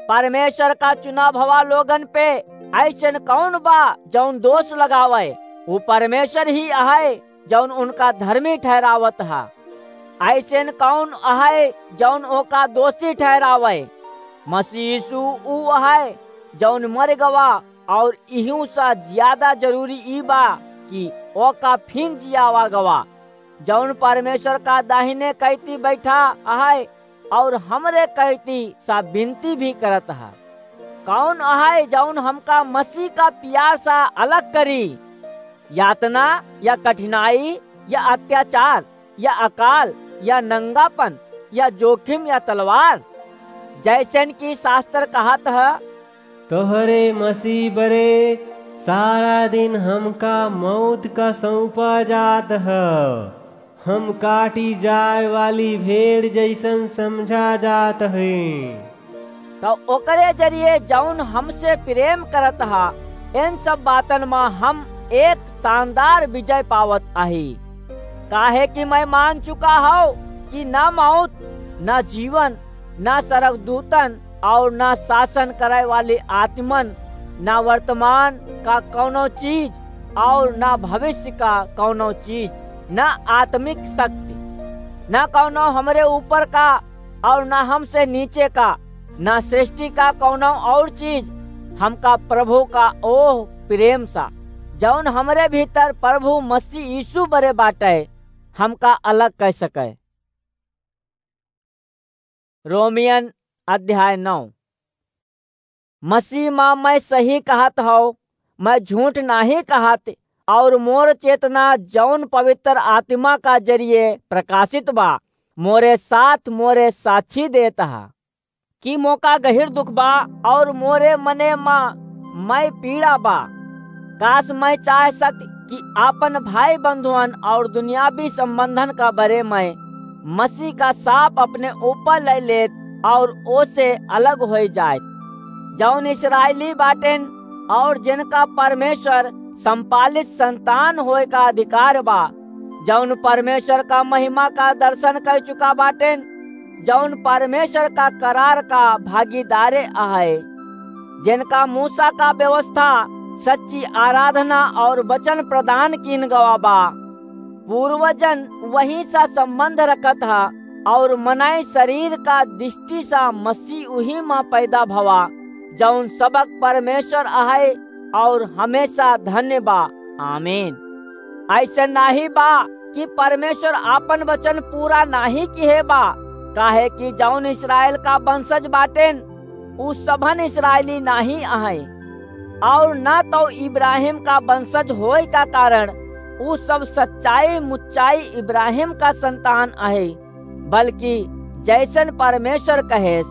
परमेश्वर का चुना भवा लोगन पे अइसन कौन बा जौन दोष लगावय? ऊ परमेश्वर ही अहय जौन उनका धर्मी ठहरावत हा। अइसन कौन अहय जौन ओका दोषी ठहरावय? मसीह यीशु ऊ अहय जौन मर गवा, और इहू सा ज्यादा जरूरी ई बा कि ओका फिन जियावा गवा, जौन परमेश्वर का दाहिने कैती बैठा अहय और हमरे कैती सा विनती भी करत हा। कौन अहय जौन हमका मसीह का पियार सा अलग करी? यातना या कठिनाई या अत्याचार या अकाल या नंगापन या जोखिम या तलवार? जैसन कि शास्त्र कहत ह, तोहरे मसीह बरे सारा दिन हमका मौत का सौंपा जात ह। हम काटी जाए वाली भेड़ जैसन समझा जात हई। तो ओकरे जरिए जौन हमसे प्रेम करत हा, इन सब बातन मा हम एक शानदार विजय पावत आही। काहे कि मैं मान चुका हौ कि ना मौत, ना जीवन, ना स्वर्गदूतन और ना शासन करे वाली आत्मन, ना वर्तमान का कौनो चीज और ना भविष्य का कौनो चीज, ना आत्मिक शक्ति, ना कौनो हमरे ऊपर का और ना हमसे नीचे का, ना सृष्टि का कौनो और चीज हमका प्रभु का ओह प्रेम सा, जौन हमरे भीतर प्रभु मसीह यीशु बरे बाटे, हमका अलग कर सके। रोमियन अध्याय नौ। मसीह मा मैं सही कहत हौ, मैं झूठ नाहीं कहत, और मोर चेतना जौन पवित्र आत्मा का जरिए प्रकाशित बा, मोरे साथ मोरे साक्षी देत हा कि मोका गहिर दुख बा, और मोरे मने मा मैं पीड़ा बा। काश मैं चाह सकत कि आपन भाई बंधुअन और दुनियावी संबंधन का बरे में मसीह का साप अपने ऊपर ले लेत और ओसे अलग होई जाए। जौन इस्राएली बाटेन और जिनका परमेश्वर संपालित संतान होए का अधिकार बा, जौन परमेश्वर का महिमा का दर्शन कर चुका बाटेन, जौन परमेश्वर का करार का भागीदारे अहय, जिनका मूसा का व्यवस्था, सच्ची आराधना और वचन प्रदान कीन गवा बा। पूर्वजन वही सा संबंध रखत हा और मनई शरीर का दृष्टि सा मसीह उही मा पैदा भवा, जौन सबक परमेश्वर अहय और हमेशा धन्य बा। आमीन। ऐसे नाही बा कि परमेश्वर आपन वचन पूरा नाही किहे बा, काहे कि जौन इस्राएल का वंशज बाटेन, उ सभन इस्राएली नाही अहय, और ना तो इब्राहिम का वंशज होए का कारण उ सब सच्चाई मुच्चाई इब्राहिम का संतान अहय, बल्कि जैसन परमेश्वर कहेस,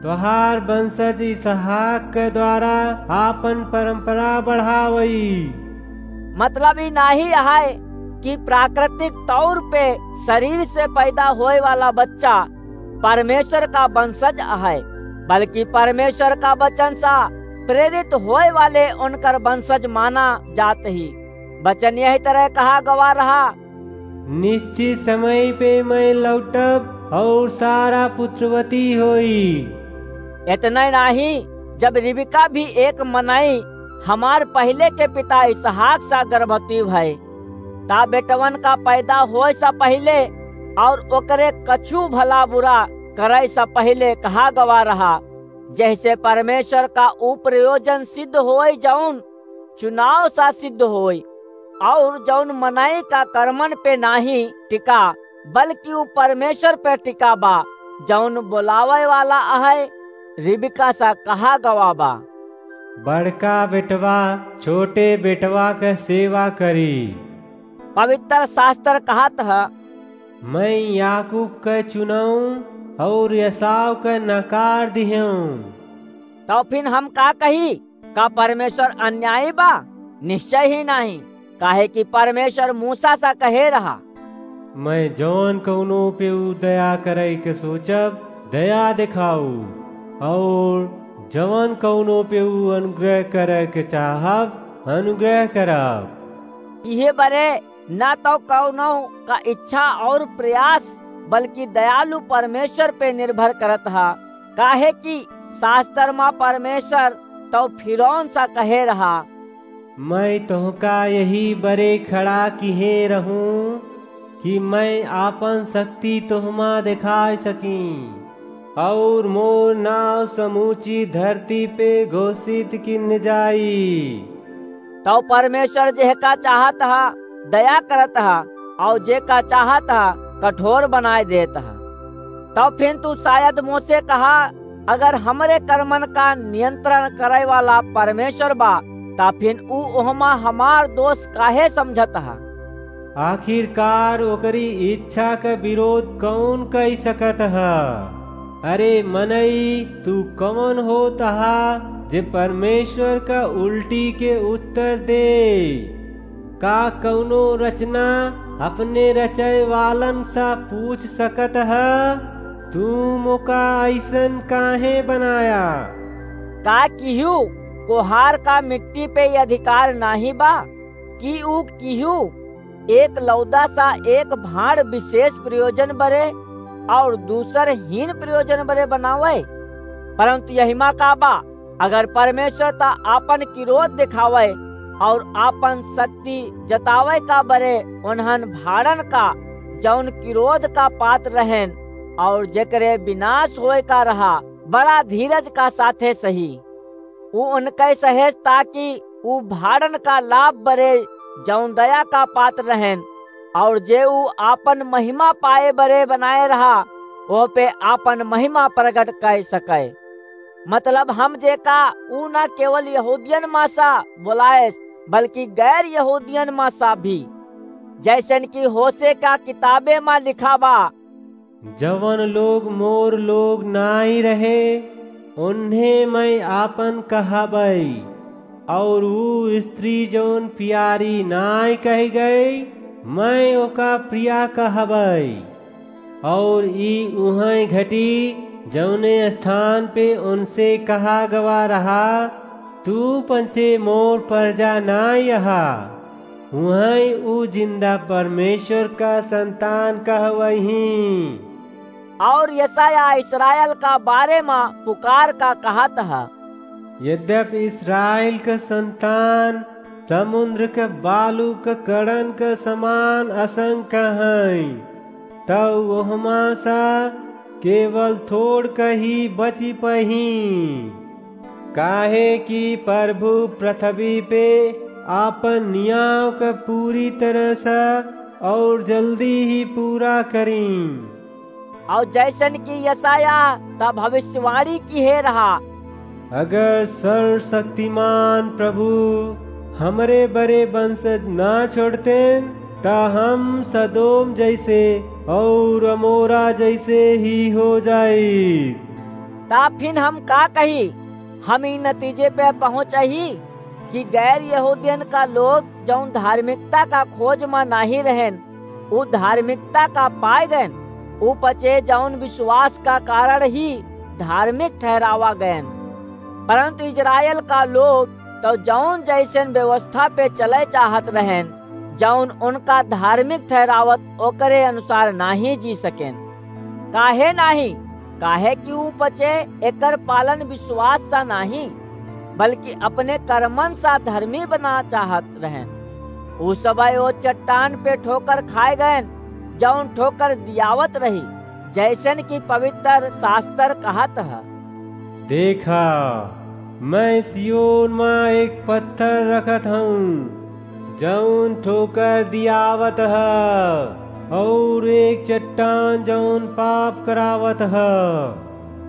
"तोहार वंशज इसहाक के द्वारा आपन परंपरा बढ़ावई।" मतलब ई नाही अहय कि प्राकृतिक तौर पे शरीर से पैदा होए वाला बच्चा परमेश्वर का वंशज अहय, बल्कि परमेश्वर का वचन सा प्रेरित होए वाले उनकर वंशज माना जात ही। वचन यही तरह कहा गवा रहा, निश्चित समय पे मैं लौटब और सारा पुत्रवती होई। इतने नाही, जब रिबका भी एक मनई हमार पहिले के पिता इसहाक सा गर्भवती भय, ता बेटवन का पैदा होए सा पहिले और ओकरे कछु भला बुरा करे सा पहिले कहा गवा रहा, जैसे परमेश्वर का ऊ प्रयोजन सिद्ध होए जौन चुनाव सा सिद्ध होए, और जौन मनई का कर्मन पे नाही टिका, बल्कि ऊ परमेश्वर पे टिका बा, जौन बोलावे वाला आहे, रिबका सा कहा गवा बा। बड़का बेटवा छोटे बेटवा के सेवा करी। पवित्र शास्त्र कहत ह, मैं याकूब के चुनऊं और एसाव के नकार दिहेऊं। तो फिर हम का कही? का परमेश्वर अन्यायी बा? निश्चय ही नाही, काहे कि परमेश्वर मूसा सा कहे रहा, मैं जौन कौनो पे ऊ दया करे के सोचब, दया दिखाऊ, और जवन कौनो पे ऊ अनुग्रह करे के चाहब, अनुग्रह करब। इहे बरे ना तो कौनो का इच्छा और प्रयास, बल्कि दयालु परमेश्वर पे निर्भर करत हा, काहे कि शास्त्र मा परमेश्वर तो फिरौन सा कहे रहा, मैं तोहका यही बरे खड़ा किहे रहूं कि मैं आपन शक्ति तोहमा दिखा सकी, और मोर नाव समूची धरती पे घोषित किन जाई। तो परमेश्वर जेहका चाहत हा, दया करत हा, और जेका चाहत हा, कठोर बनाए देत हा। तो फिर तू शायद मोसे कहा, अगर हमरे कर्मन का नियंत्रण करे वाला परमेश्वर बा, ता फिर ऊ ओहमा हमार दोष काहे समझत हा? आखिरकार ओकरी इच्छा का विरोध कौन कई सकत हा? अरे मनई, तू कौन होत हा जे परमेश्वर का उल्टी के उत्तर दे? का कौनो रचना अपने रचय वालन सा पूछ सकत ह, तू मोका अइसन काहे बनाया? का किहू कोहार का मिट्टी पे ये अधिकार नाही बा कि ऊ किहू एक लौदा सा एक भाँड़ विशेष प्रयोजन बरे और दूसर हीन प्रयोजन बरे बनावे? परंतु यहिमा का बा, अगर परमेश्वर त आपन किरोध देखावे और आपन शक्ति जतावे का बरे उन्हन भाड़न का, जौन किरोध का पात्र रहेन और जेकरे विनाश होए का रहा, बड़ा धीरज का साथे सही। ऊ उनके सहेज ताकि ऊ भाड़न का लाभ बरे, जौन दया का पात्र रहेन, और जे ऊ आपन महिमा पाए बरे बनाए रहा, ओह पे आपन महिमा प्रगट कर सके। मतलब हम जेका ऊ ना केवल यहूदियन मा सा बोलाएस, बल्कि गैर यहूदियन मा सा भी। जैसन कि होशे का किताबे मा लिखा बा, जवन लोग मोर लोग नाई रहे, उन्हें मैं आपन कहबई, और ऊ स्त्री जवन प्यारी नाई कही गई, मैं ओका प्रिया कहबई। और ई उहै घटी, जौने स्थान पे उनसे कहा गवा रहा, तू पंचे मोर परजा नाई अहा, उहै ऊ जिंदा परमेश्वर का संतान कहवही। और यशायाह इस्राएल का बारे मा पुकार का कहत ह, यद्यपि इस्राएल का संतान समुद्र के बालू के कणन के समान असंख्य हैं, तब ओहमा सा केवल थोड़ कही बची पही। काहे कि प्रभु पृथ्वी पे आपन नियाव के पूरी तरह से और जल्दी ही पूरा करी। और जैसन कि यशायाह त भविष्यवाणी किहे रहा, अगर सर्वशक्तिमान प्रभु हमरे बरे वंशज ना छोड़तेन, त हम सदोम जैसे और अमोरा जैसे ही हो जाई। ता फिन हम का कही? हम ई नतीजे पे पहुँचही कि गैर यहूदियन का लोग जौन धार्मिकता का खोज मा नाही रहेन, उ धार्मिकता का पाए गएन, उ पचे जौन विश्वास का कारण ही धार्मिक ठहरावा गएन। परंतु इजराइल का लोग तो जौन जैसन व्यवस्था पे चले चाहत रहेन, जौन उनका धार्मिक ठहरावत ओकरे अनुसार नाहीं जी सकेन। काहे नाहीं? काहे कि ऊ पचे एकर पालन विश्वास सा नाहीं, बल्कि अपने कर्मन सा धर्मी बना चाहत रहेन। ऊ सबय ओ चट्टान पे ठोकर खाए गएन, जौन ठोकर दियावत रही, जैसन कि पवित्र शास्त्र कहत ह। देखा, मैं सियोन मा एक पत्थर रखत हूँ, जौन ठोकर दियावत ह, और एक चट्टान, जौन पाप करावत ह।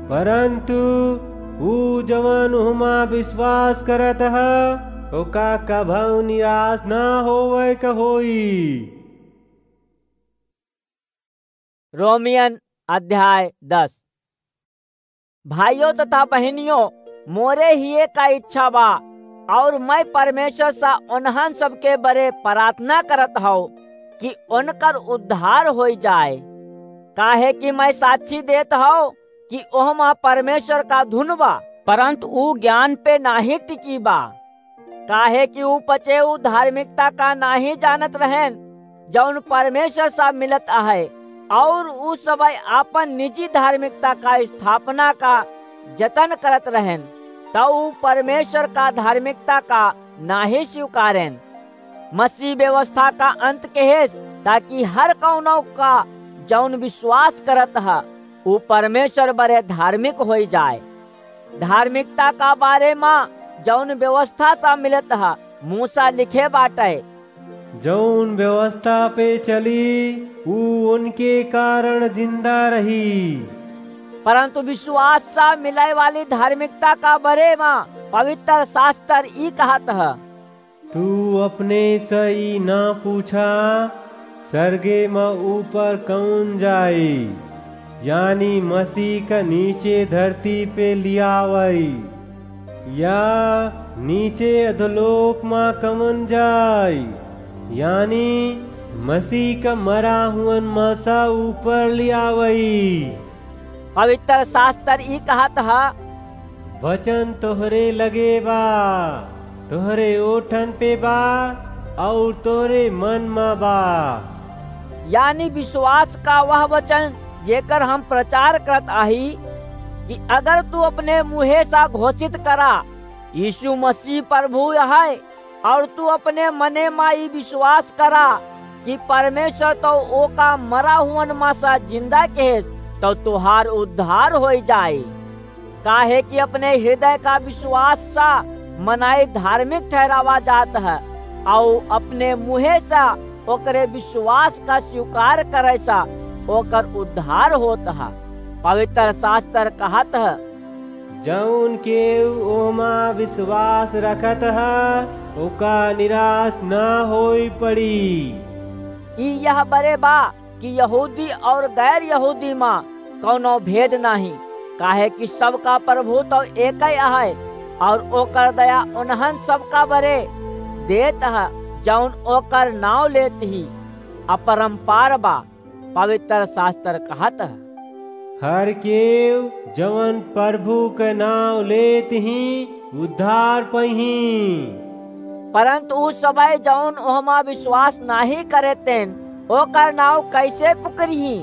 परंतु ऊ जवन उहमा विश्वास करत ह, ओका कभऊ निराश ना होवे क होई। रोमियन अध्याय दस। भाइयों तथा बहिनियों, मोरे हिये का इच्छा बा, और मैं परमेश्वर सा उन्हन सबके बरे प्रार्थना करत हौ कि उनकर उद्धार होई जाए। काहे कि मैं साक्षी देत हौ कि ओहमा परमेश्वर का धुन बा, परंतु ऊ ज्ञान पे नाहीं टिकी बा। काहे कि ऊ पचे ऊ धार्मिकता का नाहीं जानत रहेन, जौन परमेश्वर सा मिलत आहे, और ऊ सबय आपन निजी धार्मिकता का स्थापना का जतन करत रहेन, त ऊ परमेश्वर का धार्मिकता का नाहीं स्वीकारेन। मसीह व्यवस्था का अंत केहेस, ताकि हर कौनो का जौन विश्वास करत ह, ऊ परमेश्वर बरे धार्मिक होई जाए। धार्मिकता का बारे मा जौन व्यवस्था सा मिलत ह, मूसा लिखे बाटे, जौन व्यवस्था पे चली, ऊ उनके कारण जिंदा रही। परंतु विश्वास सा मिले वाली धार्मिकता का बारे मा पवित्र शास्त्र ई कहत ह, तू अपने से ई ना पूछा, सरगे म ऊपर कौन जाई, यानी मसीह का नीचे धरती पे लियावई, या नीचे अधोलोक म कौन जाई, यानी मसीह का मरा हुअन म सा ऊपर लियावई। पवित्र शास्त्र ई कहत ह, वचन तोहरे लगे बा, तोहरे ओठन पे बा, और तोहरे मन म बा। यानी विश्वास का वह वचन जेकर हम प्रचार करत आही कि अगर तू अपने मुँहे सा घोषित करा, यीशु मसीह प्रभु है, और तू अपने मने मा ई विश्वास करा कि परमेश्वर तो ओका मरा हुअन मा सा जिंदा केहेस, तो तुहार उद्धार होई जाई। काहे कि अपने हृदय का विश्वास सा मनाई धार्मिक ठहरावा जात है, और अपने मुँहे सा ओकरे विश्वास का स्वीकार करे सा ओकर उद्धार होत है। पवित्र शास्त्र कहत है, जौन केहू ओमा विश्वास रखत ह, ओका निराश ना होई पड़ी। ई यह बरे बा कि यहूदी और गैर यहूदी मा कौनो भेद नाहीं, काहे कि सबका प्रभु तो एकई अहै, और ओकर दया उन्हन सबका बरे देत ह, जौन ओकर नाव लेत ही। अपरंपार बा। पवित्र शास्त्र कहत ह, हर केव जवन प्रभु के नाव लेत ही, उद्धार पइही। परंतु उ सबय जौन ओहमा विश्वास नाहीं करेतेन, ओकर नाव कैसे पुकरिही?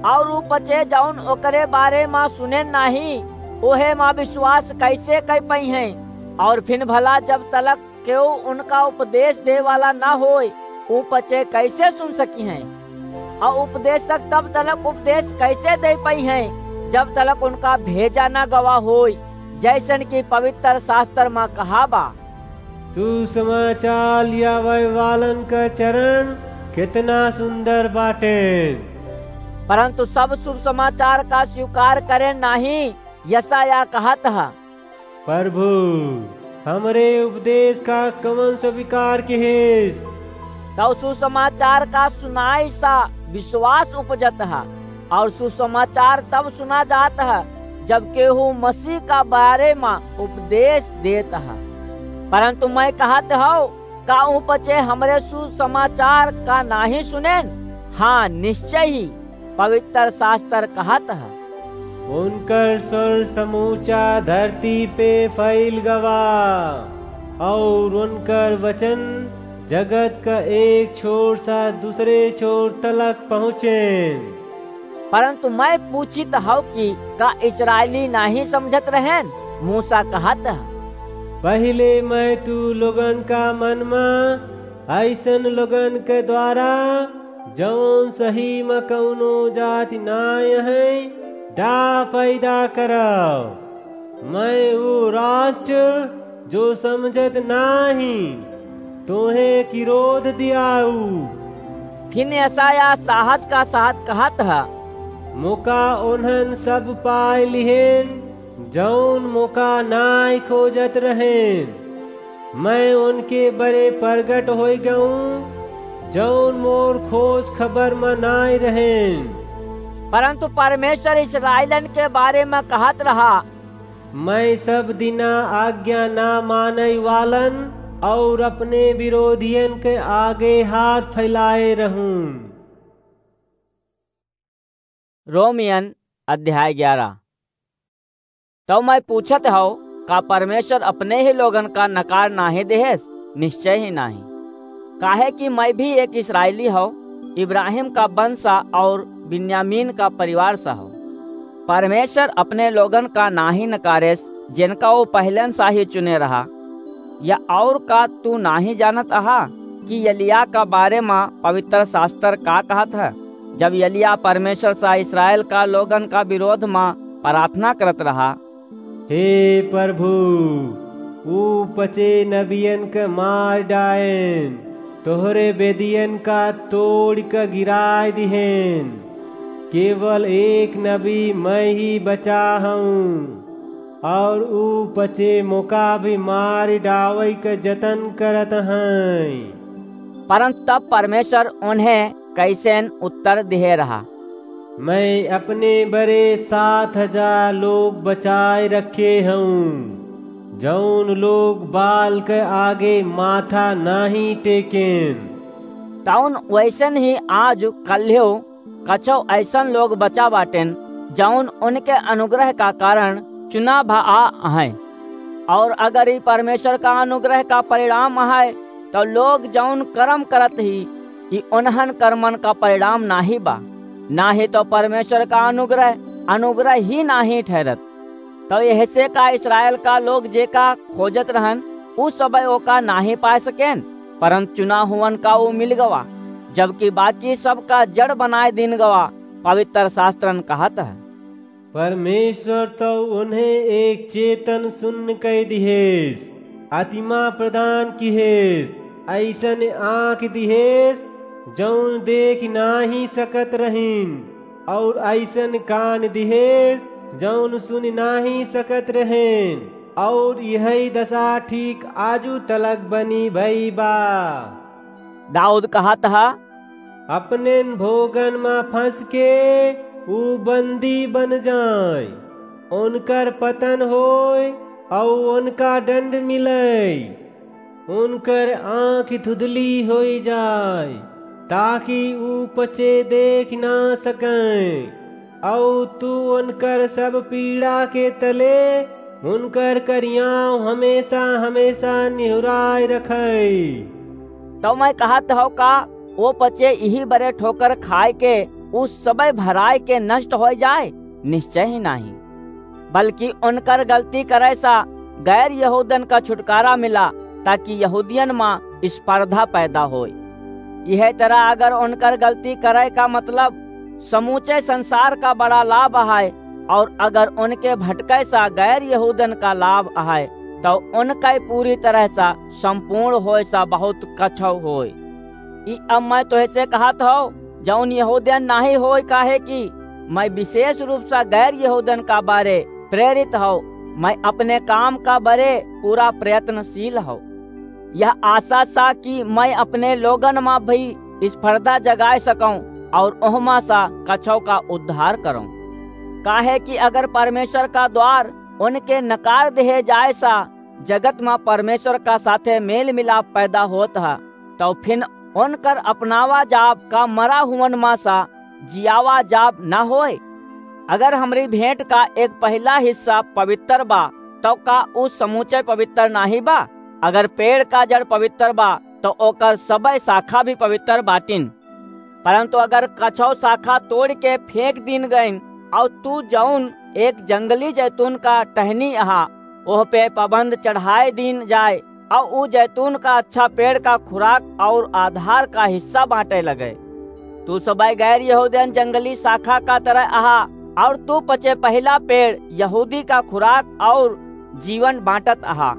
और उ पचे जौन ओकरे बारे मा सुनेन नाहीं, ओहे मा विश्वास कैसे कइ पइहें? और फिन भला जब तलक केहू उनका उपदेश दे वाला ना होय, उ पचे कैसे सुन सकिहें? और उपदेशक तब तलक उपदेश कैसे दे पइहें, जब तलक उनका भेजा ना गवा होय? जैसन कि पवित्र शास्त्र मा कहा बा, सुसमाचार लियावे वालन का चरण कितना सुंदर बाटे। परंतु सब शुभ समाचार का स्वीकार करे नाहीं, यशायाह कहत ह, प्रभु, हमरे उपदेश का कवन स्वीकार किहिस? तब सुसमाचार का सुनाई सा विश्वास उपजत ह, और सुसमाचार तब सुना जात ह, जब केहू मसीह का बारे मा उपदेश देत ह। परंतु मैं कहत हौ, का उ पचे हमरे सुसमाचार का नाहीं सुनेन? हाँ, निश्चय ही, पवित्र शास्त्र कहत ह, उनकर स्वर समूचा धरती पे फैल गवा, और उनकर वचन जगत क एक छोर स दूसरे छोर तलक पहुँचेन। परंतु मैं पूछित हौ कि का इस्राएली नाहीं समझत रहेन? मूसा कहत ह, पहिले मैं तू लोगन का मन म अइसन लोगन के द्वारा, जौन सही म कउनो जाति नाहीं है, डाह पैदा करव। मैं ऊ राष्ट्र जो समझत नाहीं, तोहे किरोध दियाऊ। फिन यशायाह साहस का साथ कहत ह, मोका ओन्हन सब पाय लिहेन, जौन मोका नाय खोजत रहेन। मैं ओनके बरे परगट होय गऊँ, जौन मोर खोज खबर म नाय रहेन। परंतु परमेश्वर इस्राएलन के बारे म कहत रहा, मैं सब दिना आज्ञा ना मानइ वालन और अपने विरोधियन के आगे हाथ फैलाए रहूं। रोमियन अध्याय ग्यारह। तौ मैं पूछत हौ, का परमेश्वर अपने ही लोगन का नकार नाहीं देहेस? निश्चय ही नाहीं। काहे कि मैं भी एक इस्राएली हौ, इब्राहिम का वंश सा और बिन्यामीन का परिवार सा हौ। परमेश्वर अपने लोगन का नाहीं नकारेस, जिनका वो पहलन सा ही चुने रहा। या और का तू नाहीं जानत अहा कि यलिया का बारे म पवित्र शास्त्र का कहत है? जब यलिया परमेश्वर सा इस्राएल का लोगन का विरोध म प्रार्थना करत रहा, हे प्रभु, ऊ पचे नबियन के मार डाएन, तोहरे बेदियन का तोड़ के गिराय दिहेन। केवल एक नबी मैं ही बचा हूँ, और ऊ पचे मोका भी मार डावै के जतन करत हैं। परंतु तब परमेश्वर उन्हें कैसेन उत्तर दिहे रहा, मैं अपने बरे सात हजार लोग बचाए रखे हूँ, जौन लोग बाल के आगे माथा नाहीं टेकेन। तौन वैसन ही आज कल्ह्यो कछो ऐसन लोग बचा बाटेन, जौन उनके अनुग्रह का कारण चुना भा आ अहैं। और अगर ई परमेश्वर का अनुग्रह का परिणाम अहै, तो लोग जौन कर्म करत ही, ई उन्हन कर्मन का परिणाम नाहीं बा, नाहीं तो परमेश्वर का अनुग्रह, अनुग्रह ही नाहीं ठहरत। तो यहसे का इस्राएल का लोग जेका खोजत रहन, उ सबय ओका नाहीं पाय सकेन, परंतु चुना हुवन का उ मिल गवा, जबकि बाकी सबका जड़ बनाय दीन गवा, पवित्र शास्त्रन कहत है। परमेश्वर तो उन्हें एक चेतन सुन्न कइ दिहेस, आत्मा प्रदान किहेस, अइसन आँख दिहेस, जौन देख नाहीं सकत रहिन, और अइसन कान दिहेस, जौन सुन नाहीं सकत रहेन, और यही दशा ठीक आजू तलक बनी भई बा। दाऊद कहत ह, अपनेन भोगन म फंस के ऊ बंदी बन जाय, उनकर पतन होय, अऊ उनका दंड मिलय, उनकर आँख धुधली होई जाय, ताकि ऊ पचे देख ना सकय। अऊ तू उनकर सब पीड़ा के तले उनकर करियाव हमेशा हमेशा निहुराय रखय। तब मैं कहत हौ का, ओ पचे इही बरे ठोकर खाय के ऊ सबय भराय के नष्ट होय जाय? निश्चय ही नाहीं, बल्कि उनकर गलती करय सा गैर यहूदन का छुटकारा मिला, ताकि यहूदियन मा स्पर्धा पैदा होय। यह तरह अगर उनकर गलती करय का मतलब समूचे संसार का बड़ा लाभ अहय, और अगर उनके भटकय सा गैर यहूदन का लाभ अहय, तो उनके पूरी तरह सा संपूर्ण होय सा बहुत कछव होय। ई अब मैं तोहसे कहत हौ, जौन यहूदियन नाहीं होय, काहे कि मैं विशेष रूप सा गैर यहूदन का बरे प्रेरित हौ, मैं अपने काम का बरे पूरा प्रयत्नशील हौ। यह आशा सा कि मैं अपने लोगन मा भी स्पर्धा जगाय सकौं और ओहमा सा कछव का उद्धार करौं। काहे कि अगर परमेश्वर का द्वार उनके नकार देहे जाय सा जगत मा परमेश्वर का साथे मेल मिलाप पैदा होत ह, तौ फिन उनकर अपनावा जाब का मरा हुवन मा सा जियावा जाब न होय। अगर हमरी भेंट का एक पहिला हिस्सा पवित्र बा, तौ का ऊ समूचे पवित्र नाहीं बा? अगर पेड़ का जड़ पवित्र बा, तो ओकर सबइ शाखा भी पवित्र बाटिन। परन्तु अगर कछौ शाखा तोड़ि के फेंक दीन गइन, अउर तू जउन एक जंगली जैतून का टहनी अहा, ओह पे पाबंद चढ़ाए दीन जाए, अउर ऊ जैतून का अच्छा पेड़ का खुराक अउर आधार का हिस्सा बाँटे लगे। तू सबइ गैर यहूदियन जंगली शाखा का तरह अहा, अउर तू पचे पहिला पेड़ यहूदी का खुराक अउर जीवन बाँटत अहा।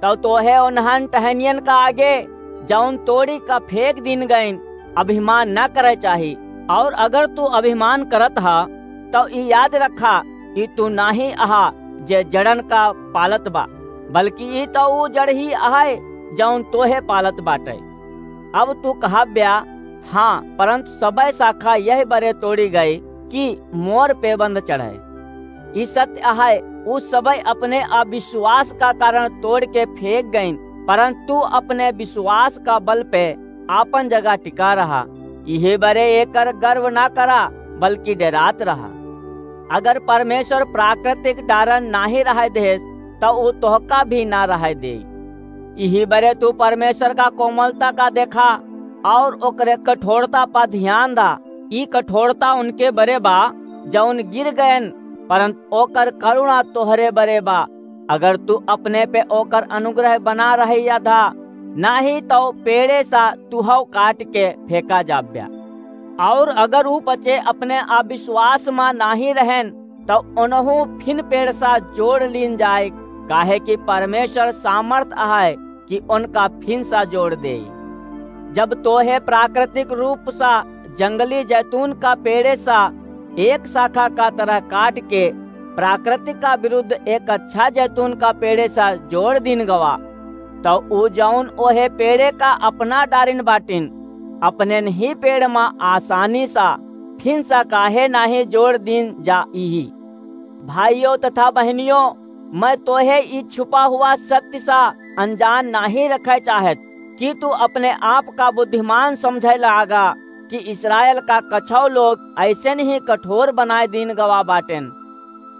तब तोहे उन्हन टहनियन का आगे, जउन तोड़ी का फेंक दीन गइन, अभिमान न करे चाही। अउर अगर तू अभिमान करत हा, तब ई याद रखा, ई तू नाहीं अहा, जे जड़न का पालत बा, बल्कि ई तो ऊ जड़ ही अहइ, जउन तोहे पालत बाटे। अब तू कहब्या, हाँ, परन्तु सबइ शाखा यहि बरे तोड़ी गइ कि मोर पेबंद चढ़े। ई सत्य अहइ, ऊ सबइ अपने अविश्वास का कारण तोड़ के फेंक गइन, परन्तु तू अपने विश्वास का बल पे आपन जगह टिका रहा। इहे बरे एकर गर्व ना करा, बल्कि डेरात रहा। अगर परमेश्वर प्राकृतिक डारन नाहीं रहइ देस, त ऊ तोहका भी ना रहइ देई। इही बरे तू परमेश्वर का कोमलता का देखा अउर ओकरे कठोरता पर ध्यान दा। ई कठोरता उनके बरे बा, जउन गिर गएन, परन्तु ओकर करुणा तोहरे बरे बा। अगर तू अपने पे ओकर अनुग्रह बना रही या धा, नाहीं तो पेड़े सा तुहौ काट के फेंका जाब्या। अउर अगर ऊ पचे अपने अविश्वास मा नाहीं रहेन, तो ओनहू फिन पेड़ सा जोड़ लीन जाए, काहे कि परमेश्वर सामर्थ अहइ कि ओनका फिन सा जोड़ देई। जब तोहे प्राकृतिक रूप सा जंगली जैतून का पेड़े सा एक शाखा का तरह काट के प्राकृतिक का विरुद्ध एक अच्छा जैतून का पेड़े सा जोड़ दीन गवा, तो ऊ जउन ओहे पेड़े का अपना डारिन बाटिन, अपने ही पेड़ मा आसानी सा फिन सा काहे नाहीं जोड़ दीन जा इही? भाइयों तथा बहनियों, मैं तोहे ई छुपा हुआ सत्य सा अनजान नाहीं रखे चाहत कि तू अपने आप का बुद्धिमान समझे लागा कि इस्राएल का कछौ लोग अइसने ही कठोर बनाए दीन गवा बाटेन,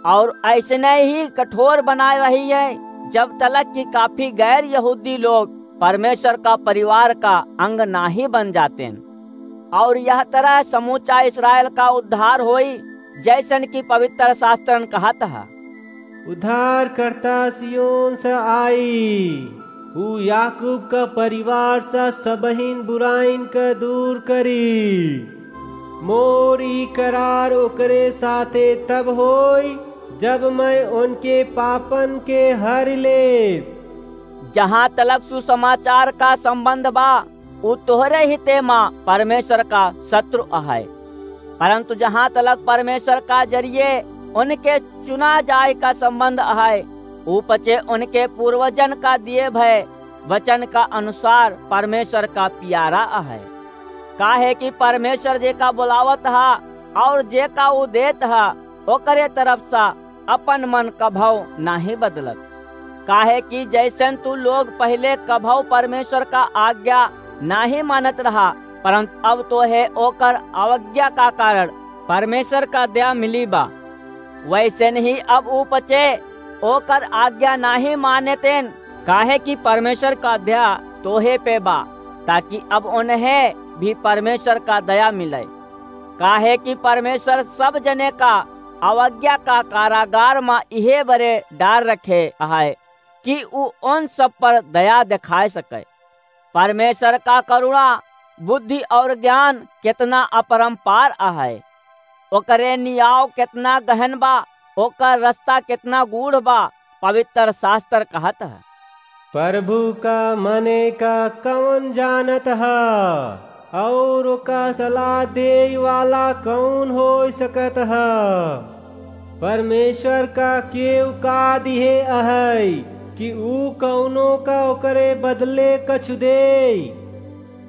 अउर अइसने ही कठोर बनाए रही है, जब तलक कि काफी गैर यहूदी लोग परमेश्वर का परिवार का अंग नाहीं बन जातेन। अउर यह तरह समूचा इस्राएल का उद्धार होई, जइसन कि पवित्र शास्त्रन कहत ह। उद्धारकर्ता सियोन से आई, ऊ याकूब का परिवार से सबहिन बुराइन के दूर करी। मोर ई करार ओकरे साथे तब होई, जब मैं उनके पापन के हर ले। जहाँ तलक सुसमाचार का संबंध बा, उ तोहरे हिते मा परमेश्वर का शत्रु अहइ। परन्तु जहाँ तलक परमेश्वर का जरिये उनके चुना जाए का संबंध अहइ, उ पचे उनके पूर्वजन का दिए भए वचन का अनुसार परमेश्वर का पियारा अहइ। काहे कि परमेश्वर जेका बोलावत हा अउर जेका उ देत हा, ओकरे तरफ सा अपन मन कभौ नाहीं बदलत। काहे कि जइसन तू लोग पहिले कभौ परमेश्वर का आज्ञा नाहीं मानत रहा, परन्तु अब तोहे ओकर अवज्ञा का कारण परमेश्वर का दया मिली बा, वइसन ही अब उ पचे ओकर आज्ञा नाहीं मानेतेन। काहे कि परमेश्वर का दया तोहे पे बा, ताकि अब उन्हें भी परमेश्वर का दया मिले। काहे कि परमेश्वर सब जने का अवज्ञा का कारागार मा इहे बरे डार रखे अहइ कि उ उन सब पर दया देखाए सके। परमेश्वर का करुणा, बुद्धि अउर ज्ञान केतना अपरंपार अहइ। ओकरे नियाव केतना गहन बा, ओकर रस्ता केतना गूढ़ बा, पवित्र शास्त्र कहत ह। प्रभु का मने का कउन जानत ह? अउर ओका सलाह देइ वाला कउन होइ सकत ह? परमेश्वर का केव का दिहे अहइ कि ऊ कउनो का ओकरे बदले कछु देइ?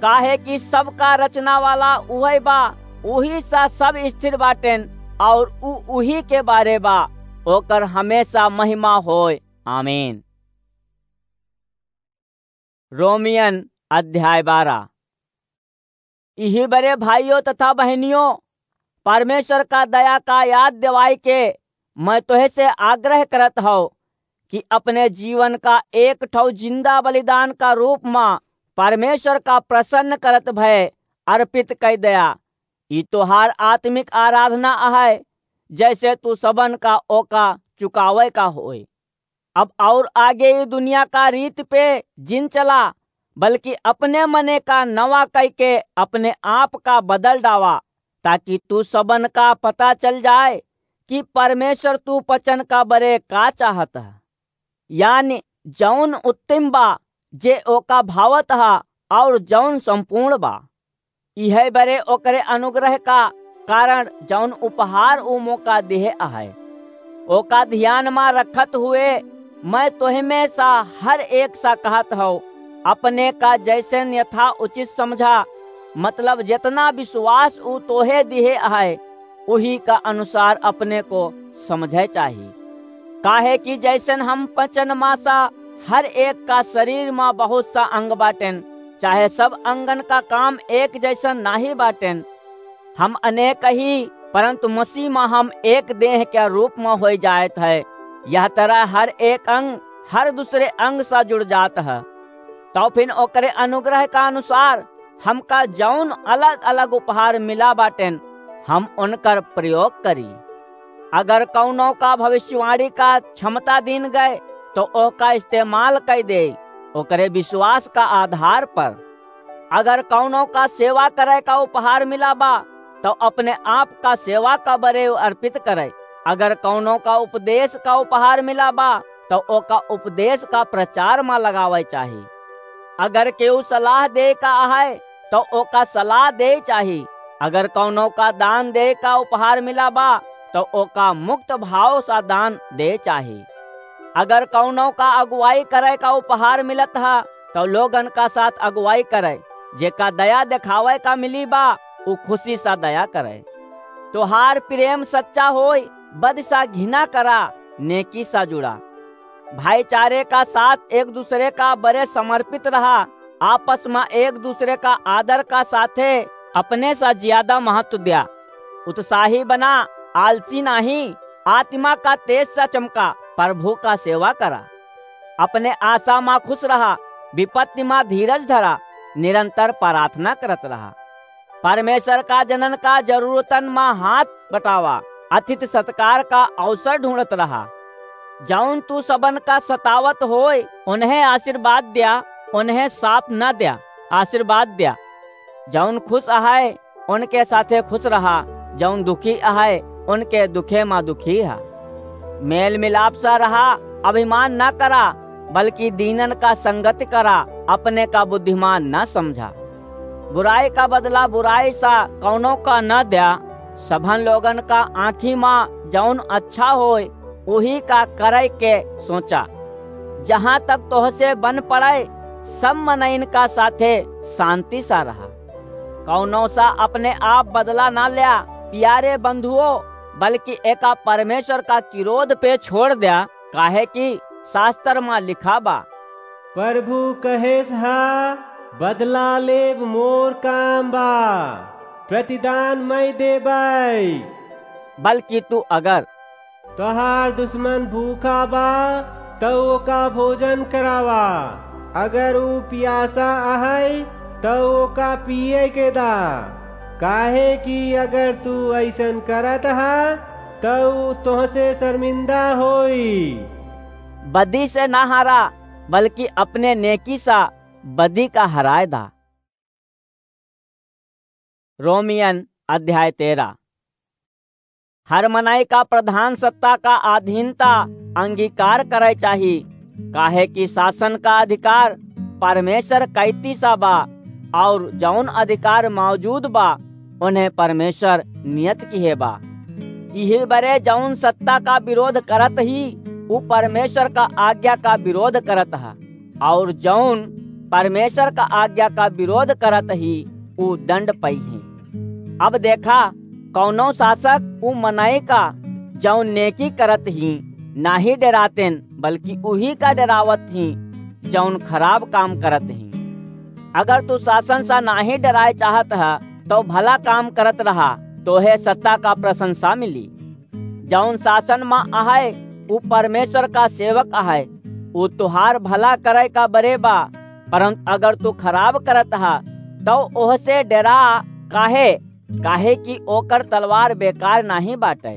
काहे कि सबका रचना वाला उहइ बा, उही सा सब स्थिर बाटेन, अउर ऊ उही के बारे बा, ओकर हमेशा महिमा होय। आमीन। रोमियन अध्याय बारह। इही बरे भाइयों तथा बहनियों, परमेश्वर का दया का याद दिवाई के मैं तोहे से आग्रह करत हौ कि अपने जीवन का एक ठौ जिंदा बलिदान का रूप मा परमेश्वर का प्रसन्न करत भय अर्पित कइ दया। ई तोहार आत्मिक आराधना अहै, जैसे तू सबन का ओका चुकावै का होय। अब और आगे ई दुनिया का रीत पे जिन चला, बल्कि अपने मने का नवा कइके अपने आप का बदल डावा, ताकि तू सबन का पता चल जाए कि परमेश्वर तू पचन का बरे का चाहत ह, यानी जौन उत्तम बा, जे ओका भावत ह, और जौन संपूर्ण बा। इहे बरे ओकरे अनुग्रह का कारण जौन उपहार ऊ मोका दिहे अहै, ओका ध्यान मा रखत हुए मैं तोहमे सा हर एक सा कहत हौ, अपने का जैसन यथा उचित समझा, मतलब जेतना विश्वास ऊ तोहे दिहे अहै, उही का अनुसार अपने को समझे चाही। काहे कि जैसन हम पचन मा सा हर एक का शरीर मा बहुत सा अंग बाटेन, चाहे सब अंगन का काम एक जैसन नाही बाटेन। हम अनेक ही, परंतु मसीह मा हम एक देह के रूप मा होई जात है। यह तरह हर एक अंग हर दूसरे अंग सा जुड़ जात है। तौ फिन ओकरे अनुग्रह का अनुसार हमका जौन अलग-अलग उपहार मिला बाटेन, हम उनकर प्रयोग करी। अगर कौनो का भविष्यवाणी का क्षमता दीन गए, तो ओका इस्तेमाल कइ दे, ओकरे विश्वास का आधार पर। अगर कौनो का सेवा करे का उपहार मिला बा, तो अपने आप का सेवा का बरे अर्पित करे। अगर कौनो का उपदेश का उपहार मिला बा, तो ओका उपदेश का प्रचार मा लगावे चाही। अगर केहू सलाह दे का अहै, तो ओका सलाह दे चाही। अगर कौनो का दान दे का उपहार मिला बा, तो ओका मुक्त भाव सा दान दे चाही। अगर कौनो का अगुवाई करे का उपहार मिलत ह, तो लोगन का साथ अगुवाई करे। जेका दया देखावे का मिली बा, उ खुशी सा दया करे। तोहार प्रेम सच्चा होय, बद सा घिना करा, नेकी सा जुड़ा। भाईचारे का साथ एक दूसरे का बरे समर्पित रहा, आपस मा एक दूसरे का आदर का साथे अपने सा ज्यादा महत्व द्या। उत्साही बना, आलसी नाही, आत्मा का तेज सा चमका, प्रभु का सेवा करा। अपने आशा मा खुश रहा, विपत्ति मा धीरज धरा, निरंतर प्रार्थना करत रहा। परमेश्वर का जनन का जरूरतन मा हाथ बटावा, अतिथि सत्कार का अवसर ढूंढत रहा। जौन तू सबन का सतावत होय, उन्हें आशीर्वाद द्या, उन्हें साप न द्या, आशीर्वाद द्या। जौन खुश अहै, उनके साथे खुश रहा, जौन दुखी अहै, उनके दुखे मा दुखी हा। मेल मिलाप सा रहा, अभिमान न करा, बल्कि दीनन का संगति करा, अपने का बुद्धिमान न समझा। बुराई का बदला बुराई सा कौनो का न द्या, सबहन लोगन का आँखी मा जौन अच्छा होय, उही का करे के सोचा। जहाँ तक तोहसे बन पड़े, सब मनइन का साथे शांति सा रहा। कौनो सा अपने आप बदला ना ल्या, प्यारे बंधुओ, बल्कि एका परमेश्वर का किरोध पे छोड़ द्या, काहे कि शास्त्र मा लिखा बा, प्रभु कहेस हा, बदला लेब मोर काम बा, प्रतिदान मैं देबै। बल्कि तू अगर तोहार दुश्मन भूखा बा, तौ ओका भोजन करावा। अगर ऊ पियासा अहै, तौ ओका पिए के दा। काहे कि अगर तू अइसन करत हा, तौ ऊ तोहसे शर्मिंदा होई। बदी से ना हारा, बल्कि अपने नेकी सा बदी का हराय दा। रोमियन अध्याय तेरह। हर मनई का प्रधान सत्ता का अधीनता अंगीकार करे चाही, काहे कि शासन का अधिकार परमेश्वर कैती सा बा, और जौन अधिकार मौजूद बा, उन्हें परमेश्वर नियत किहे बा। इही बरे जौन सत्ता का विरोध करत ही, उ परमेश्वर का आज्ञा का विरोध करत ह, और जौन परमेश्वर का आज्ञा का विरोध करत ही, उ दंड पइही। अब देखा, कौनो शासक उ मनई का, जौन नेकी करत ही, नाही डरातेन, बल्कि उही का डरावत ही, जौन खराब काम करत ही। अगर तू शासन सा नाही डराए चाहत ह, तो भला काम करत रहा, तोहे सत्ता का प्रशंसा मिली। जौन शासन मा अहै, उ परमेश्वर का सेवक अहै, उ तोहार भला करे का बरे बा, परन्तु अगर तू खराब करत हा, तौ ओहसे डेरा। काहे? काहे कि ओकर तलवार बेकार नाहीं बाटै।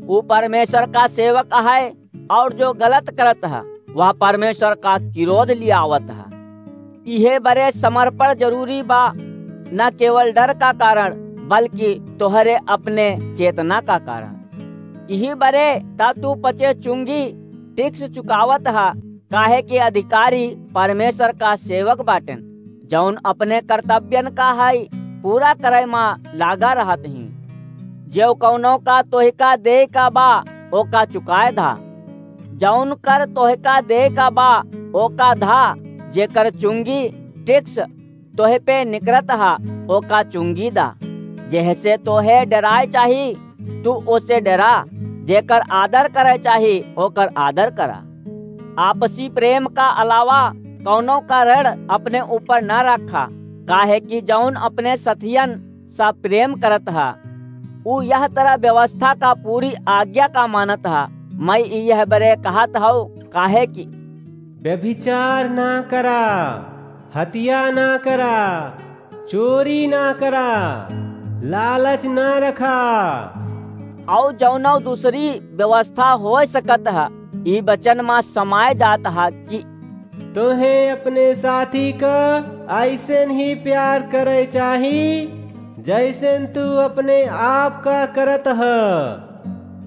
ऊ परमेश्वर का सेवक है, और जो गलत करत हा, वह परमेश्वर का किरोध लियावत हा। इहे बरे समर्पण जरूरी बा, न केवल डर का कारण, बल्कि तोहरे अपने चेतना का कारण। इही बरे ता तू पचे चुंगी टैक्स चुकावत हा, काहे कि अधिकारी परमेश्वर का सेवक बाटेन, जौन अपने कर्तव्यन का है पूरा करे मा लागा रहत ही। जेव कौनो का तोहिका देय का बा, ओका चुकाए धा। जौन कर तोहिका देय का बा, ओका धा। जेकर चुंगी टैक्स तोहे पे निकरत हा, ओका चुंगी दा। जेहसे तोहे डेराए चाही, तू ओसे डेरा। जेकर आदर करे चाही, ओकर आदर करा। आपसी प्रेम का अलावा कौनो का ऋण अपने ऊपर न रखा, काहे कि जौन अपने सथियन सा प्रेम करत हा, ऊ यह तरह व्यवस्था का पूरी आज्ञा का मानत हा। मैं ई यह बरे कहत हौ, काहे कि व्यभिचार ना करा, हत्या ना करा, चोरी ना करा, लालच ना रखा। और जौनो दूसरी व्यवस्था हो सकत ह, ई वचन मा समाय जात ह कि तोहे अपने साथी का ऐसन ही प्यार करे चाही, जैसन तू अपने आप का करत ह।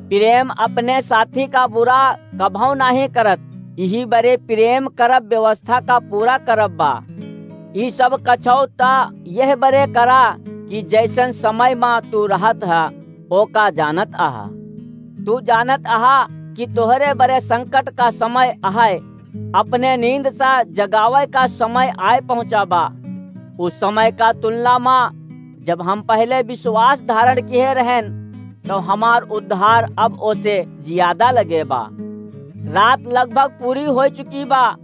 प्रेम अपने साथी का बुरा कभौ नाहीं करत, इही बरे प्रेम करब व्यवस्था का पूरा करब बा। ई सब कछौ त यह बरे करा कि जैसन समय मा तू रहत ह, ओका जानत अहा। तू जानत अहा कि तोहरे बरे संकट का समय अहै, अपने नींद सा जगावै का समय आय पहुँचा बा। उस समय का तुलना मा जब हम पहले विश्वास धारण किहे रहेन, तो हमार उद्धार अब ओसे जियादा लगे बा। रात लगभग पूरी होइ चुकी बा,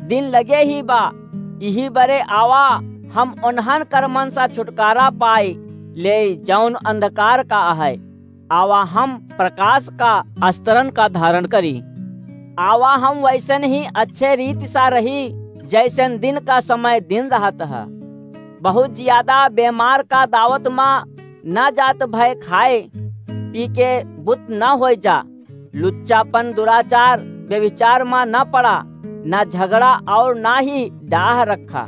दिन लगे ही बा। इही बरे आवा, हम ओन्हन कर्मन सा छुटकारा पाई लेई, जौन अंधकार का अहै। आवा, हम प्रकाश का अस्त्रन का धारण करी। आवा, हम वैसन ही अच्छे रीति सा रही, जैसन दिन का समय दिन रहत ह। बहुत जियादा बेमार का दावत मा न जात भय खाए पी के बुत न होइ जा। लुच्चापन, दुराचार, व्यभिचार मा न पड़ा, न झगड़ा और न ही डाह रखा,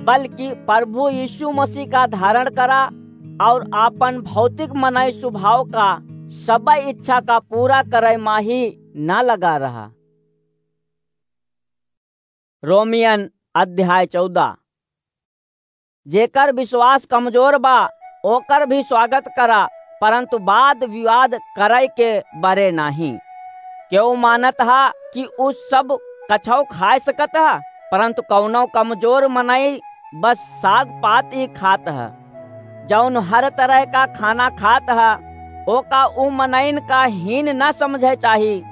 बल्कि प्रभु यीशु मसीह का धारण करा और आपन भौतिक मनई स्वभाव का सब इच्छा का पूरा करे मा ही न लगा रहा। रोमियन अध्याय चौदह। जेकर विश्वास कमजोर बा, ओकर भी स्वागत करा, परंतु वाद विवाद करे के बरे नाहीं। केहू मानत हा कि उ सब कछौ खाए सकत हा, परंतु कौनो कमजोर मनई बस साग पात ही खात ह। जौन हर तरह का खाना खात ह, ओका उ मनइन का हीन न समझे चाही,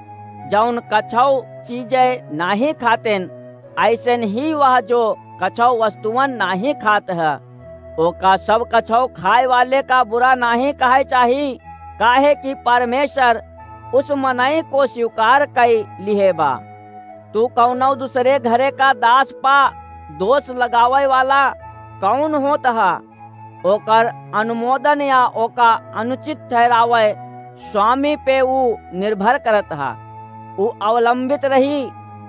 जौन कछौ चीजे नाहीं खातेन, ऐसन ही वह जो कछौ वस्तुअन नाहीं खात ह, ओका सब कछौ खाए वाले का बुरा नाहीं कहे चाही, काहे कि परमेश्वर उस मनई को स्वीकार कई लिहे बा। तू कौनो दूसरे घरे का दास पा दोष लगावे वाला कौन होत ह? ओकर अनुमोदन या ओका अनुचित ठहरावे स्वामी पे ऊ निर्भर करत ह। ऊ अवलंबित रही,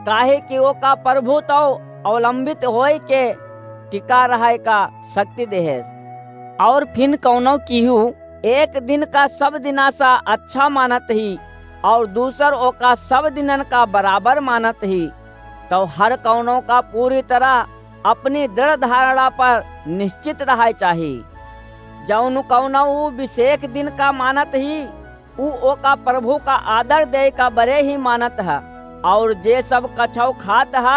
काहे कि ओका प्रभु तो अवलंबित होए के टिका रहे का शक्ति देहेस। और फिन कौनो किहू एक दिन का सब दिना सा अच्छा मानत ही, और दूसर ओका सब दिनन का बराबर मानत ही, तो हर कौनो का पूरी तरह अपनी दृढ़ धारणा पर निश्चित रहे चाही। जौन कौनो ऊ विशेष दिन का मानत ही, ऊ ओका प्रभु का आदर देय का बरे ही मानत ह, और जे सब कछौ खात ह,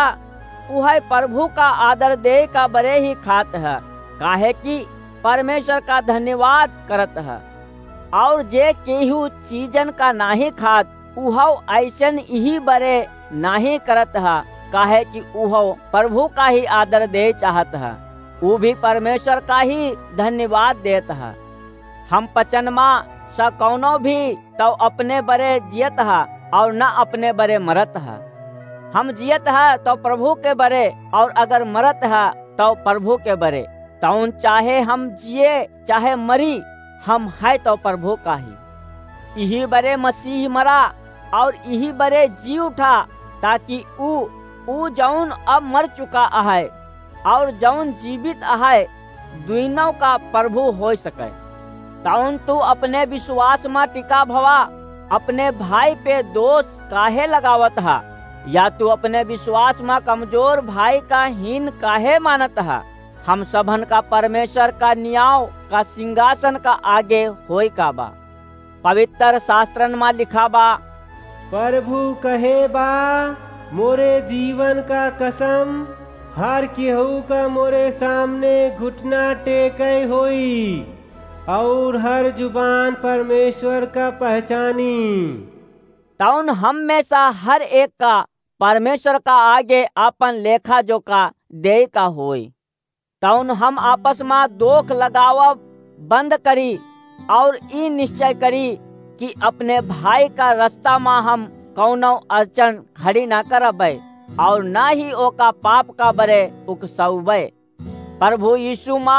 उहै प्रभु का आदर देय का बरे ही खात ह, काहे कि परमेश्वर का धन्यवाद करत ह। और जे केहू चीजन का नाहीं खात, उहौ ऐसन इही बरे नाहीं करत ह, काहे कि उहौ प्रभु का ही आदर देय चाहत ह, ऊ भी परमेश्वर का ही धन्यवाद देत ह। हम पचन मा स कौनो भी तौ अपने बरे जियत ह और न अपने बरे मरत ह। हम जियत ह तौ प्रभु के बरे, और अगर मरत ह तौ प्रभु के बरे। तौन चाहे हम जिए चाहे मरी, हम है तौ प्रभु का ही। इही बरे मसीह मरा और इही बरे जी उठा, ताकि ऊ, ऊ जौन अब मर चुका अहै और जौन जीवित अहै, दुइनों का प्रभु होइ सकै। तौन तू अपने विश्वास मा टिका भवा, अपने भाई पे दोष काहे लगावत हा? या तू अपने विश्वास मा कमजोर भाई का हीन काहे मानत हा? हम सभन का परमेश्वर का नियाव का सिंहासन का आगे होय का बा? पवित्र शास्त्रन मा लिखा बा, प्रभु कहे बा, मोरे जीवन का कसम, हर केहू का मोरे सामने घुटना टेकै होई, और हर जुबान परमेश्वर का पहचानी। तौन हम में सा हर एक का परमेश्वर का आगे आपन लेखा जोखा देय का होई। तौन हम आपस मा दोख लगावब बंद करी और ई निश्चय करी कि अपने भाई का रास्ता मा हम कौनो अड़चन खड़ी ना करबै और ना ही ओका पाप का बरे उकसौबै। प्रभु यीशु मा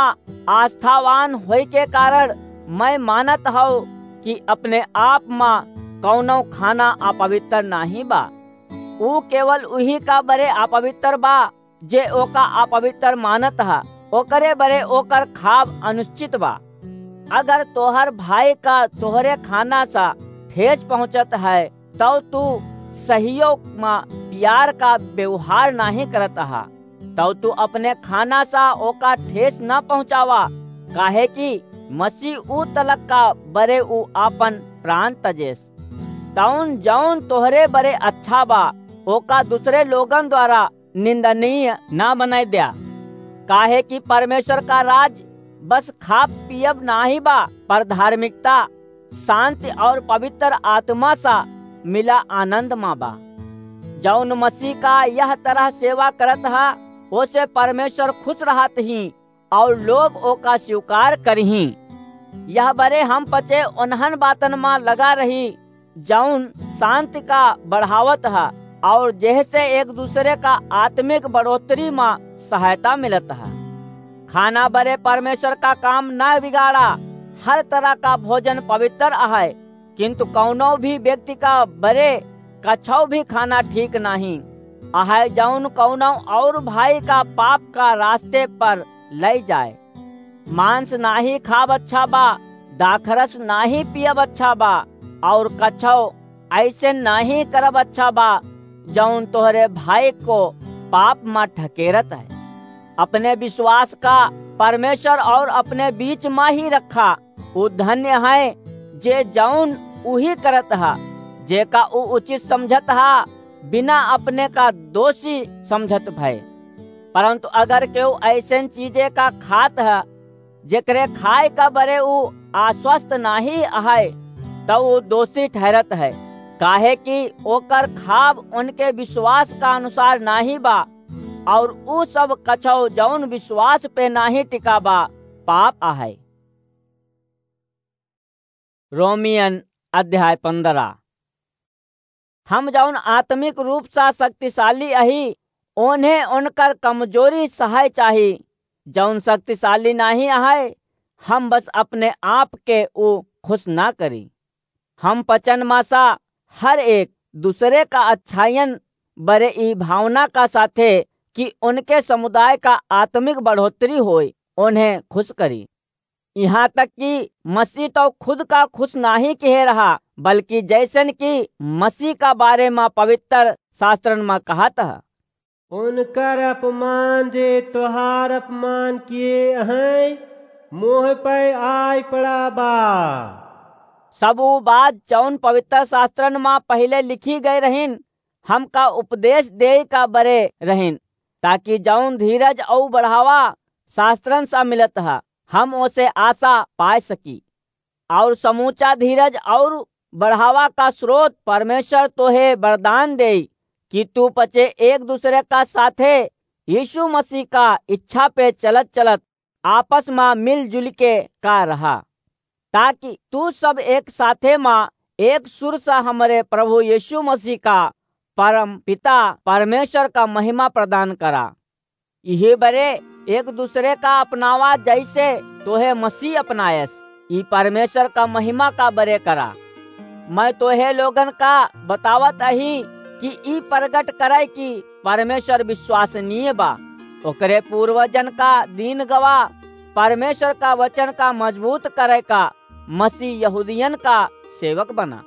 आस्थावान होय के कारण मैं मानत हौ कि अपने आप मा कौनो खाना अपवित्र नाहीं बा। ऊ केवल उही का बरे अपवित्र बा, जे ओका अपवित्र मानत ह, ओकरे बरे ओकर खाब अनुचित बा। अगर तोहर भाई का तोहरे खाना सा ठेस पहुँचत है, तौ तू सहियो मा प्यार का व्यवहार नाहीं करत ह, तौ तू अपने खाना सा ओका ठेस न पहुँचावा, काहे कि मसीह ऊ तलक का बरे ऊ आपन प्राण तजेस। तौन जौन तोहरे बरे अच्छा बा, ओका दूसरे लोगन द्वारा निंदनीय ना बनाय द्या, काहे कि परमेश्वर का राज बस खाब पियब नाहीं बा, पर धार्मिकता, शांति और पवित्र आत्मा सा मिला आनंद मा बा। जौन मसीह का यह तरह सेवा करत ह, ओसे परमेश्वर खुश रहत ही और लोग ओका स्वीकार करहीं। यह बरे हम पचे ओन्हन बातन मा लगा रही, जौन शांति का बढ़ावत ह और जेहसे एक दूसरे का आत्मिक बढ़ोतरी मा सहायता मिलत ह। खाना बरे परमेश्वर का काम न बिगाड़ा। हर तरह का भोजन पवित्र अहै, किंतु कौनो भी व्यक्ति का बरे कछौ भी खाना ठीक नाहीं अहै, जौन कौनो और भाई का पाप का रास्ते पर लई जाए। मांस नाहीं खाब अच्छा बा, दाखरस नाहीं पियब अच्छा बा, और कछौ ऐसे नाहीं करब अच्छा बा, जौन तोहरे भाई को पाप मा ढकेरत है। अपने विश्वास का परमेश्वर और अपने बीच मा ही रखा। ऊ धन्य है, जे जौन उही करत ह, जेका ऊ उचित समझत ह, बिना अपने का दोषी समझत भय। परंतु अगर केहू ऐसन चीजे का खात ह, जेकरे खाए का बरे ऊ आश्वस्त नाहीं अहै, तौ ऊ दोषी ठहरत है, काहे कि ओकर खाब उनके विश्वास का अनुसार नाहीं बा, और ऊ सब कछौ जौन विश्वास पे नाहीं टिका बा, पाप अहै। रोमियन अध्याय पन्द्रह। हम जौन आत्मिक रूप सा शक्तिशाली अही, ओन्हे ओनकर कमजोरी सहाय चाही। जौन शक्तिशाली नाहीं अहै, हम बस अपने आप के ऊ खुश ना करी। हम पचन मा सा हर एक दूसरे का अच्छाइयन बरे ई भावना का साथे कि उनके समुदाय का आत्मिक बढ़ोतरी होय, उन्हें खुश करी। यहाँ तक कि मसीह तौ खुद का खुश नाहीं किहे रहा, बल्कि जैसन कि मसीह का बारे मा पवित्र शास्त्रन मा कहत ह, उनकर अपमान जे तोहार अपमान किए हैं, मोह पे आय पड़ा बा। सब ऊ बात जौन पवित्र शास्त्रन मा पहिले लिखी गए रहिन, हमका उपदेश देय का बरे रहिन, ताकि जौन धीरज अउ बढ़ावा शास्त्रन सा मिलत ह, हम ओसे आशा पाय सकी। और समूचा धीरज और बढ़ावा का स्रोत परमेश्वर तोहे वरदान देई कि तू पचे एक दूसरे का साथे यीशु मसीह का इच्छा पे चलत चलत आपस मा मिलजुल के का रहा, ताकि तू सब एक साथे मा एक सुर सा हमरे प्रभु यीशु मसीह का परम पिता परमेश्वर का महिमा प्रदान करा। इही बरे एक दूसरे का अपनावा, जैसे तोहे मसीह अपनायस, ई परमेश्वर का महिमा का बरे करा। मैं तोहे लोगन का बतावत अही कि ई प्रगट करे कि परमेश्वर विश्वसनीय बा, ओकरे पूर्वजन का दीन गवाह, परमेश्वर का वचन का मजबूत करे का मसीह यहूदियन का सेवक बना,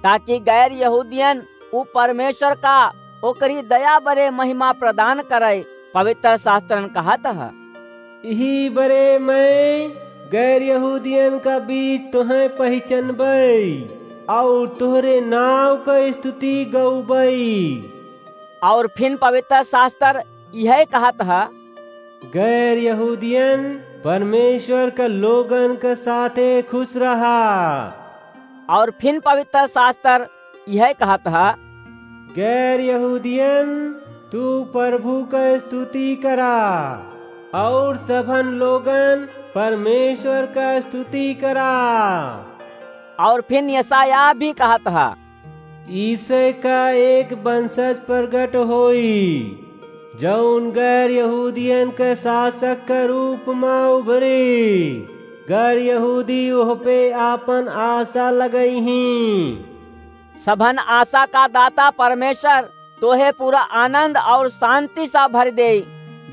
ताकि गैर यहूदियन उ परमेश्वर का ओकरी दया बरे महिमा प्रदान करे। पवित्र शास्त्रन कहत ह, इही बरे मैं गैर यहूदियन का बीच तोहें पहिचनबई, और तोहरे नाव क स्तुति गउबई। और फिन पवित्र शास्त्र इहे कहत ह, गैर यहूदियन परमेश्वर क लोगन क साथे खुश रहा। और फिन पवित्र शास्त्र इहे कहत ह, गैर यहूदियन, तू प्रभु क स्तुति करा, और सभन लोगन परमेश्वर क स्तुति करा। और फिन यशायाह भी कहत ह, ईसे का एक वंशज प्रगट होई, जौन गैर यहूदियन के शासक के रूप में उभरी। गैर यहूदी ओह पे आपन आशा लगइहीं। सभन आशा का दाता परमेश्वर तोहे पूरा आनंद और शांति सा भर देई,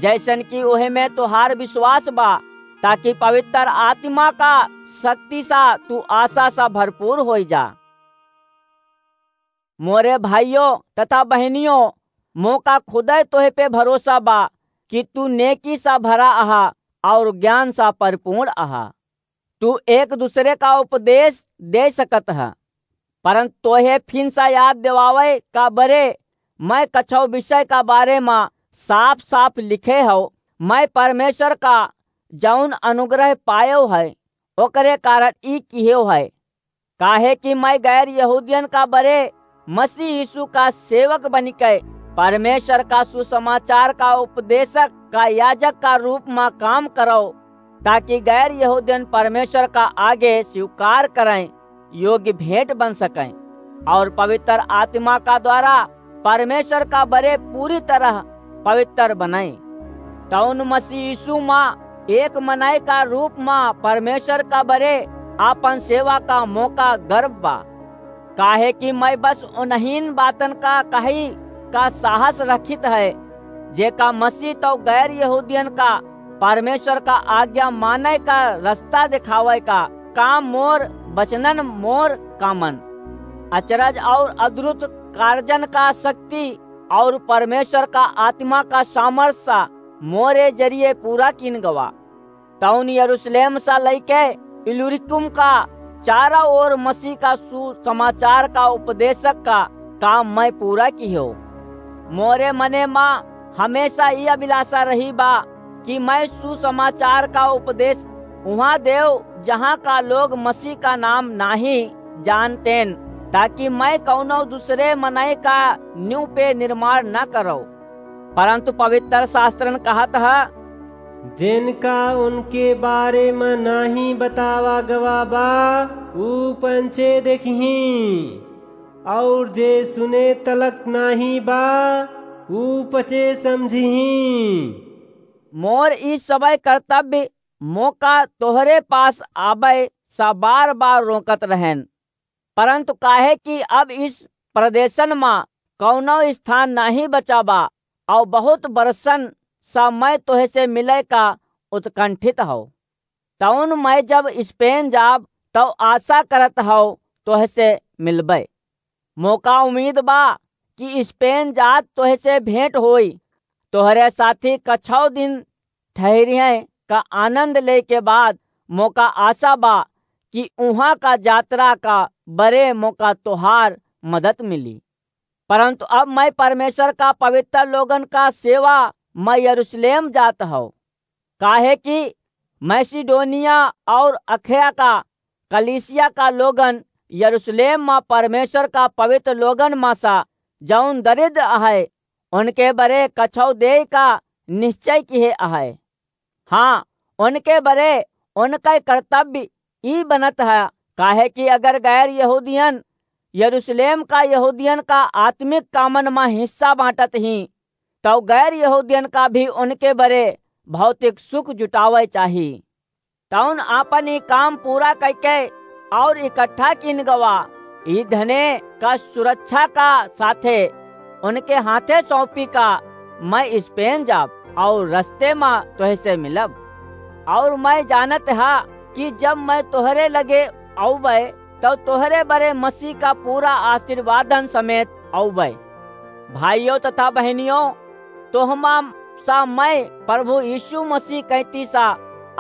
जैसन कि ओहे में तोहार विश्वास बा, ताकि पवित्र आत्मा का शक्ति सा तू आशा सा भरपूर होई जा। मोरे भाइयों तथा बहनियों, मोका खुदै तोहे पे भरोसा बा कि तू नेकी सा भरा अहा और ज्ञान सा परिपूर्ण अहा। तू एक दूसरे का उपदेश दे सकत ह, परंतु तोहे फिन सा याद दिवावे का बरे मैं कछौ विषय का बारे मा साफ साफ लिखे हौ। मैं परमेश्वर का जौन अनुग्रह पायो है, ओकरे कारण ई किहेव है, काहे कि मैं गैर यहूदियन का बरे मसीह यीशु का सेवक बनिके परमेश्वर का सुसमाचार का उपदेशक का याजक का रूप मा काम करौ, ताकि गैर यहूदियन परमेश्वर का आगे स्वीकार करें, योग्य भेंट बन सकें और पवित्र आत्मा का द्वारा परमेश्वर का बरे पूरी तरह पवित्र बनें। तौन मसीह यीशु मा एक मनई का रूप मा परमेश्वर का बरे आपन सेवा का मोका गर्व बा, काहे कि मैं बस उन्हीं बातन का कही का साहस रखित है, जेका मसीह तौ गैर यहूदियन का परमेश्वर का आज्ञा माने का रास्ता दिखावे का काम मोर वचनन मोर कामन, अचरज और अद्भुत कारजन का शक्ति और परमेश्वर का आत्मा का सामर्थ सा मोरे जरिए पूरा किन गवा। तौन यरूशलेम सा लइके इल्लुरिकुम का चारों ओर मसीह का सुसमाचार का उपदेशक का काम मैं पूरा किहेव। मोरे मने मा हमेशा ई अभिलाषा रही बा कि मैं सुसमाचार का उपदेश उहाँ देव, जहाँ का लोग मसीह का नाम नाहीं जानतेन, ताकि मैं कौनो दूसरे मनई का न्यू पे निर्माण न करौ। परंतु पवित्र शास्त्रन कहत ह, जिनका उनके बारे में नाहीं बतावा गवा बा, ऊ पंचे देखहीं, और जे सुने तलक नाहीं बा, ऊ पचे समझहीं। मोर ई सबय कर्तव्य मोका तोहरे पास आबय सा बार बार रोकत रहेन, परंतु काहे कि अब इस प्रदेशन मा कौनो स्थान नाहीं बचा बा, और बहुत बरसन सा मैं तोहे से मिले का उत्कंठित हौ। तौन मैं जब स्पेन जाब, तौ आशा करत हौ तोहे से मिलबे। मोका उम्मीद बा कि स्पेन जात तोहे से भेंट होई, तोहरे साथी कछौ दिन ठहरिहें का आनंद ले के बाद मोका आशा बा कि उहाँ का यात्रा का बरे मोका तोहार मदद मिली। परंतु अब मैं परमेश्वर का पवित्र लोगन का सेवा मैं यरूशलेम जात हौ, काहे कि मैसिडोनिया और अखया का कलीसिया का लोगन यरूशलेम मा परमेश्वर का पवित्र लोगन मा सा जौन दरिद्र अहै, उनके बरे कछौ देय का निश्चय किहे अहै। हाँ, उनके बरे उनके कर्तव्य ई बनत है, काहे कि अगर गैर यहूदियन यरूशलेम का यहूदियन का आत्मिक कामन मा हिस्सा बाँटत हीं, तउ गैर यहूदियन का भी उनके बरे भौतिक सुख जुटावै चाही। तउन आपन ई काम पूरा कइके और इकट्ठा कीन गवा, ई धने का सुरक्षा का साथे उनके हाथे सौंपी का मैं स्पेन जाब और रस्ते मा तोहसे मिलब। और मैं जानत हा कि जब मैं तोहरे लगे अउबे, तउ तोहरे बरे मसीह का पूरा आशीर्वादन समेत अउबे। भाइयों तथा बहनियों, तोहमा सा मैं प्रभु यीशु मसीह कैती सा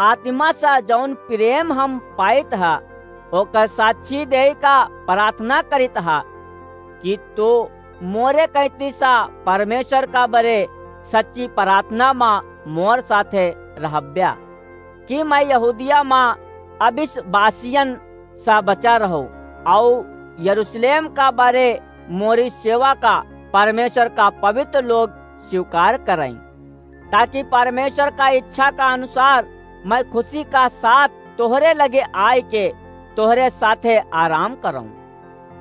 आत्मा सा जौन प्रेम हम पाइत हा, ओकर साक्षी देइ का प्रार्थना करित हा कि तू मोरे कैती सा परमेश्वर का बरे सच्ची प्रार्थना मा मोर साथे रहब्या, कि मैं यहूदिया मा अविश्वासियन सा बचा रहूं, अउ यरूशलेम का बरे मोरी सेवा का परमेश्वर का पवित्र लोग स्वीकार करैं, ताकि परमेश्वर का इच्छा का अनुसार मैं खुशी का साथ तोहरे लगे आय के तोहरे साथे आराम करऊं।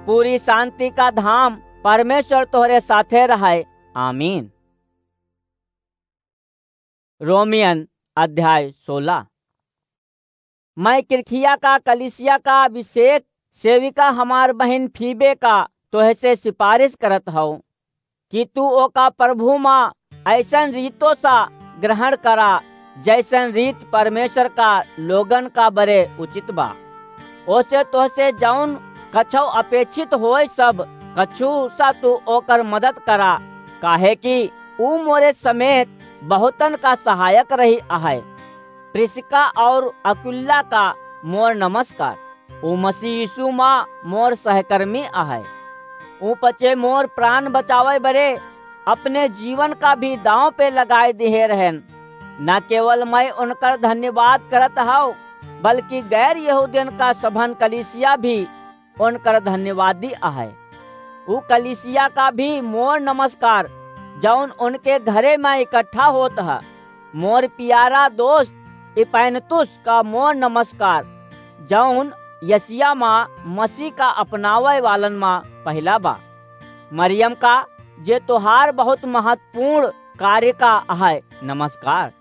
पूरी शांति का धाम परमेश्वर तोहरे साथे रहै। आमीन। रोमियन अध्याय सोलह। मैं किरखिया का कलीसिया का अभिषेक सेविका हमार बहिन फीबे का तोहसे सिफारिश करत हौ कि तू ओका प्रभु मा ऐसन रीतो सा ग्रहण करा, जैसन रीत परमेश्वर का लोगन का बरे उचित बा। ओसे तोहसे जौन कछौ अपेक्षित होय सब कछु सा तू ओकर मदद करा, काहे कि ऊ मोरे समेत बहुतन का सहायक रही अहै। प्रिस्का और अकुल्ला का मोर नमस्कार। ऊ मसीह यीशु मा मोर सहकर्मी अहै। ऊ पचे मोर प्राण बचावै बरे अपने जीवन का भी दांव पे लगाए दिहे रहन। न केवल मैं उनकर धन्यवाद करत हौ, बल्कि गैर यहूदियन का सभन कलीसिया भी उनकर धन्यवादी अहै। ऊ कलीसिया का भी मोर नमस्कार, जौन उनके घरे मा इकट्ठा होत ह। मोर प्यारा दोस्त इपैनतुस का मोर नमस्कार, जौन यसिया मा मसीह का अपनावै वालन मा पहिला बा। मरियम का, जे तोहार बहुत महत्वपूर्ण कार्य का अहै, नमस्कार।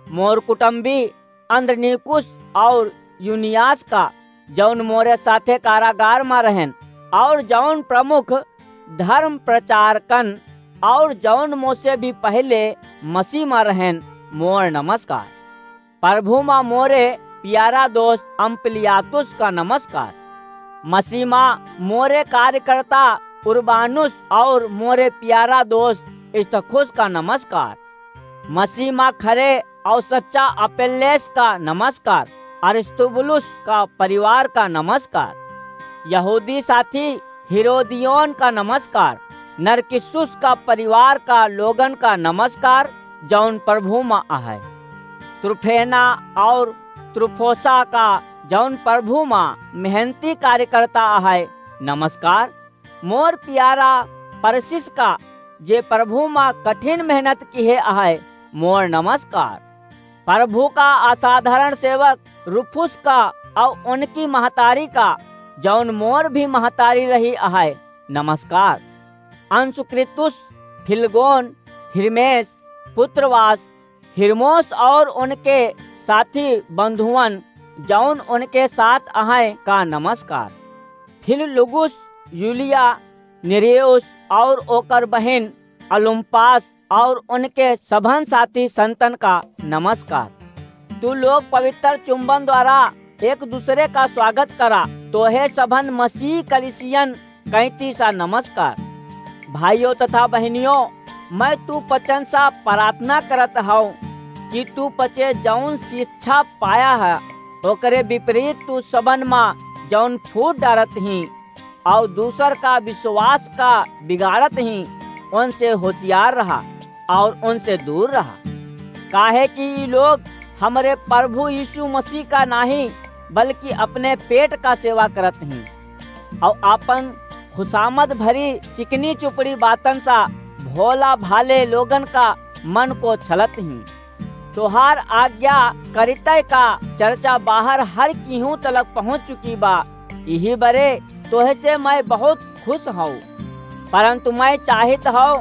मोर कुटुम्बी अन्द्रनीकुस और युनियास का, जौन मोरे साथे कारागार मा रहन, और जौन प्रमुख धर्म प्रचारकन, और जौन मोसे भी पहिले मसीह मा रहन, मोर नमस्कार। प्रभु मा मोरे प्यारा दोस्त अम्पलियातुस का नमस्कार। मसीह मा मोरे कार्यकर्ता उर्बानुस और मोरे प्यारा दोस्त इस्तखुस का नमस्कार। मसीह मा खरे और सच्चा अपेल्लेस का नमस्कार, अरिस्तुबुलुस का परिवार का नमस्कार, यहूदी साथी हिरोदियोन का नमस्कार, नरकिस्सुस का परिवार का लोगन का नमस्कार, जौन प्रभु मा अहै। त्रुफेना और त्रुफोसा का, जौन प्रभु मा मेहनती कार्यकर्ता अहै, नमस्कार। मोर प्यारा परसिस का, जे प्रभु मा कठिन मेहनत किहे अहै, मोर नमस्कार। प्रभु का असाधारण सेवक रूफुस का और उनकी महतारी का, जौन मोर भी महतारी रही अहै, नमस्कार। अंसुक्रितुस, फिलगोन, हिरमेस, पुत्रवास, हिरमोस और उनके साथी बंधुवन, जौन उनके साथ अहै, का नमस्कार। फिललुगुस, यूलिया, नेरेउस और ओकर बहिन ओलुम्पास और उनके सभन साथी संतन का नमस्कार। तू लोग पवित्र चुंबन द्वारा एक दूसरे का स्वागत करा। तोहे सभन मसीह कलिसियन कैंची सा नमस्कार। भाइयों तथा बहनियों, मैं तू पचन सा प्रार्थना करत हूँ कि तू पचे जौन शिक्षा पाया है, ओकरे विपरीत तू सबन मा जौन फूट डारत ही, और दूसर का विश्वास का बिगाड़त ही, उनसे होशियार रहा और उनसे दूर रहा। काहे कि ई लोग हमरे प्रभु यीशु मसीह का नाही, बल्कि अपने पेट का सेवा करत ही, और आपन खुशामद भरी चिकनी चुपड़ी बातन सा भोला भाले लोगन का मन को छलत ही। तोहार आज्ञा करितय का चर्चा बाहर हर किहूँ तलक पहुँच चुकी बा। इही बरे तोहसे मैं बहुत खुश हौ, परंतु मैं चाहित हौ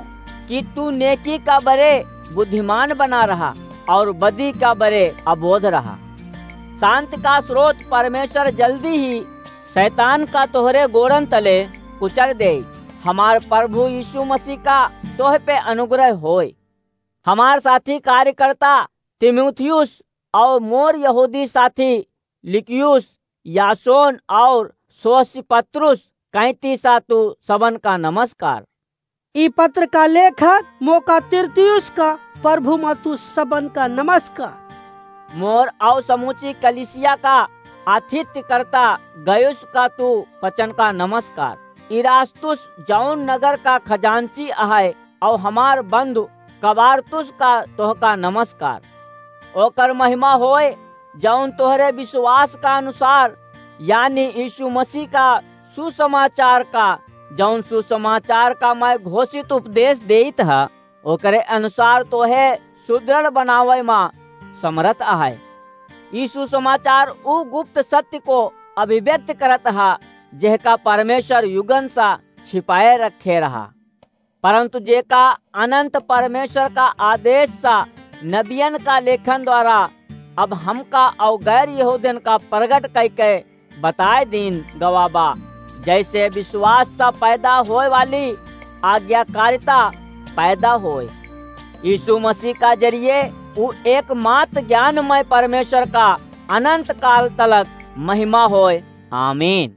कि तू नेकी का बरे बुद्धिमान बना रहा और बदी का बरे अबोध रहा। शांत का स्रोत परमेश्वर जल्दी ही शैतान का तोहरे गोड़न तले कुचल देई। हमार प्रभु यीशु मसीह का तोह पे अनुग्रह होय। हमार साथी कार्यकर्ता तीमुथियुस और मोर यहूदी साथी लूकियुस, यासोन और सोसिपत्रुस, कैंतीसा तू सबन का नमस्कार। ई पत्र का लेखक मोका तिरतियुस का प्रभु मा तू सबन का नमस्कार। मोर और समूची कलीसिया का आतिथ्यकर्ता गयुस का तू वचन का नमस्कार। इरास्तुस जौन नगर का खजांची अहै और हमार बंधु कबारतुस का तोहका नमस्कार। ओकर महिमा होय, जौन तोहरे विश्वास का अनुसार, यानी यीशु मसीह का सुसमाचार का, जौन सुसमाचार का मैं घोषित उपदेश देइत ह, ओकरे अनुसार तोहे सुदृढ़ बनावै मा समरथ अहै। यीशु समाचार उ गुप्त सत्य को अभिव्यक्त करत ह, जेहका परमेश्वर युगन सा छिपाए रखे रहा। परंतु जेका अनंत परमेश्वर का आदेश सा नबियन का लेखन द्वारा अब हमका और गैर यहूदन का प्रगट कइके बताए दीन गवा बा, जैसे विश्वास सा पैदा होए वाली आज्ञाकारिता पैदा होए। यीशु मसीह का जरिए उ एकमात्र ज्ञानमय परमेश्वर का अनंत काल तलक महिमा होए। आमीन।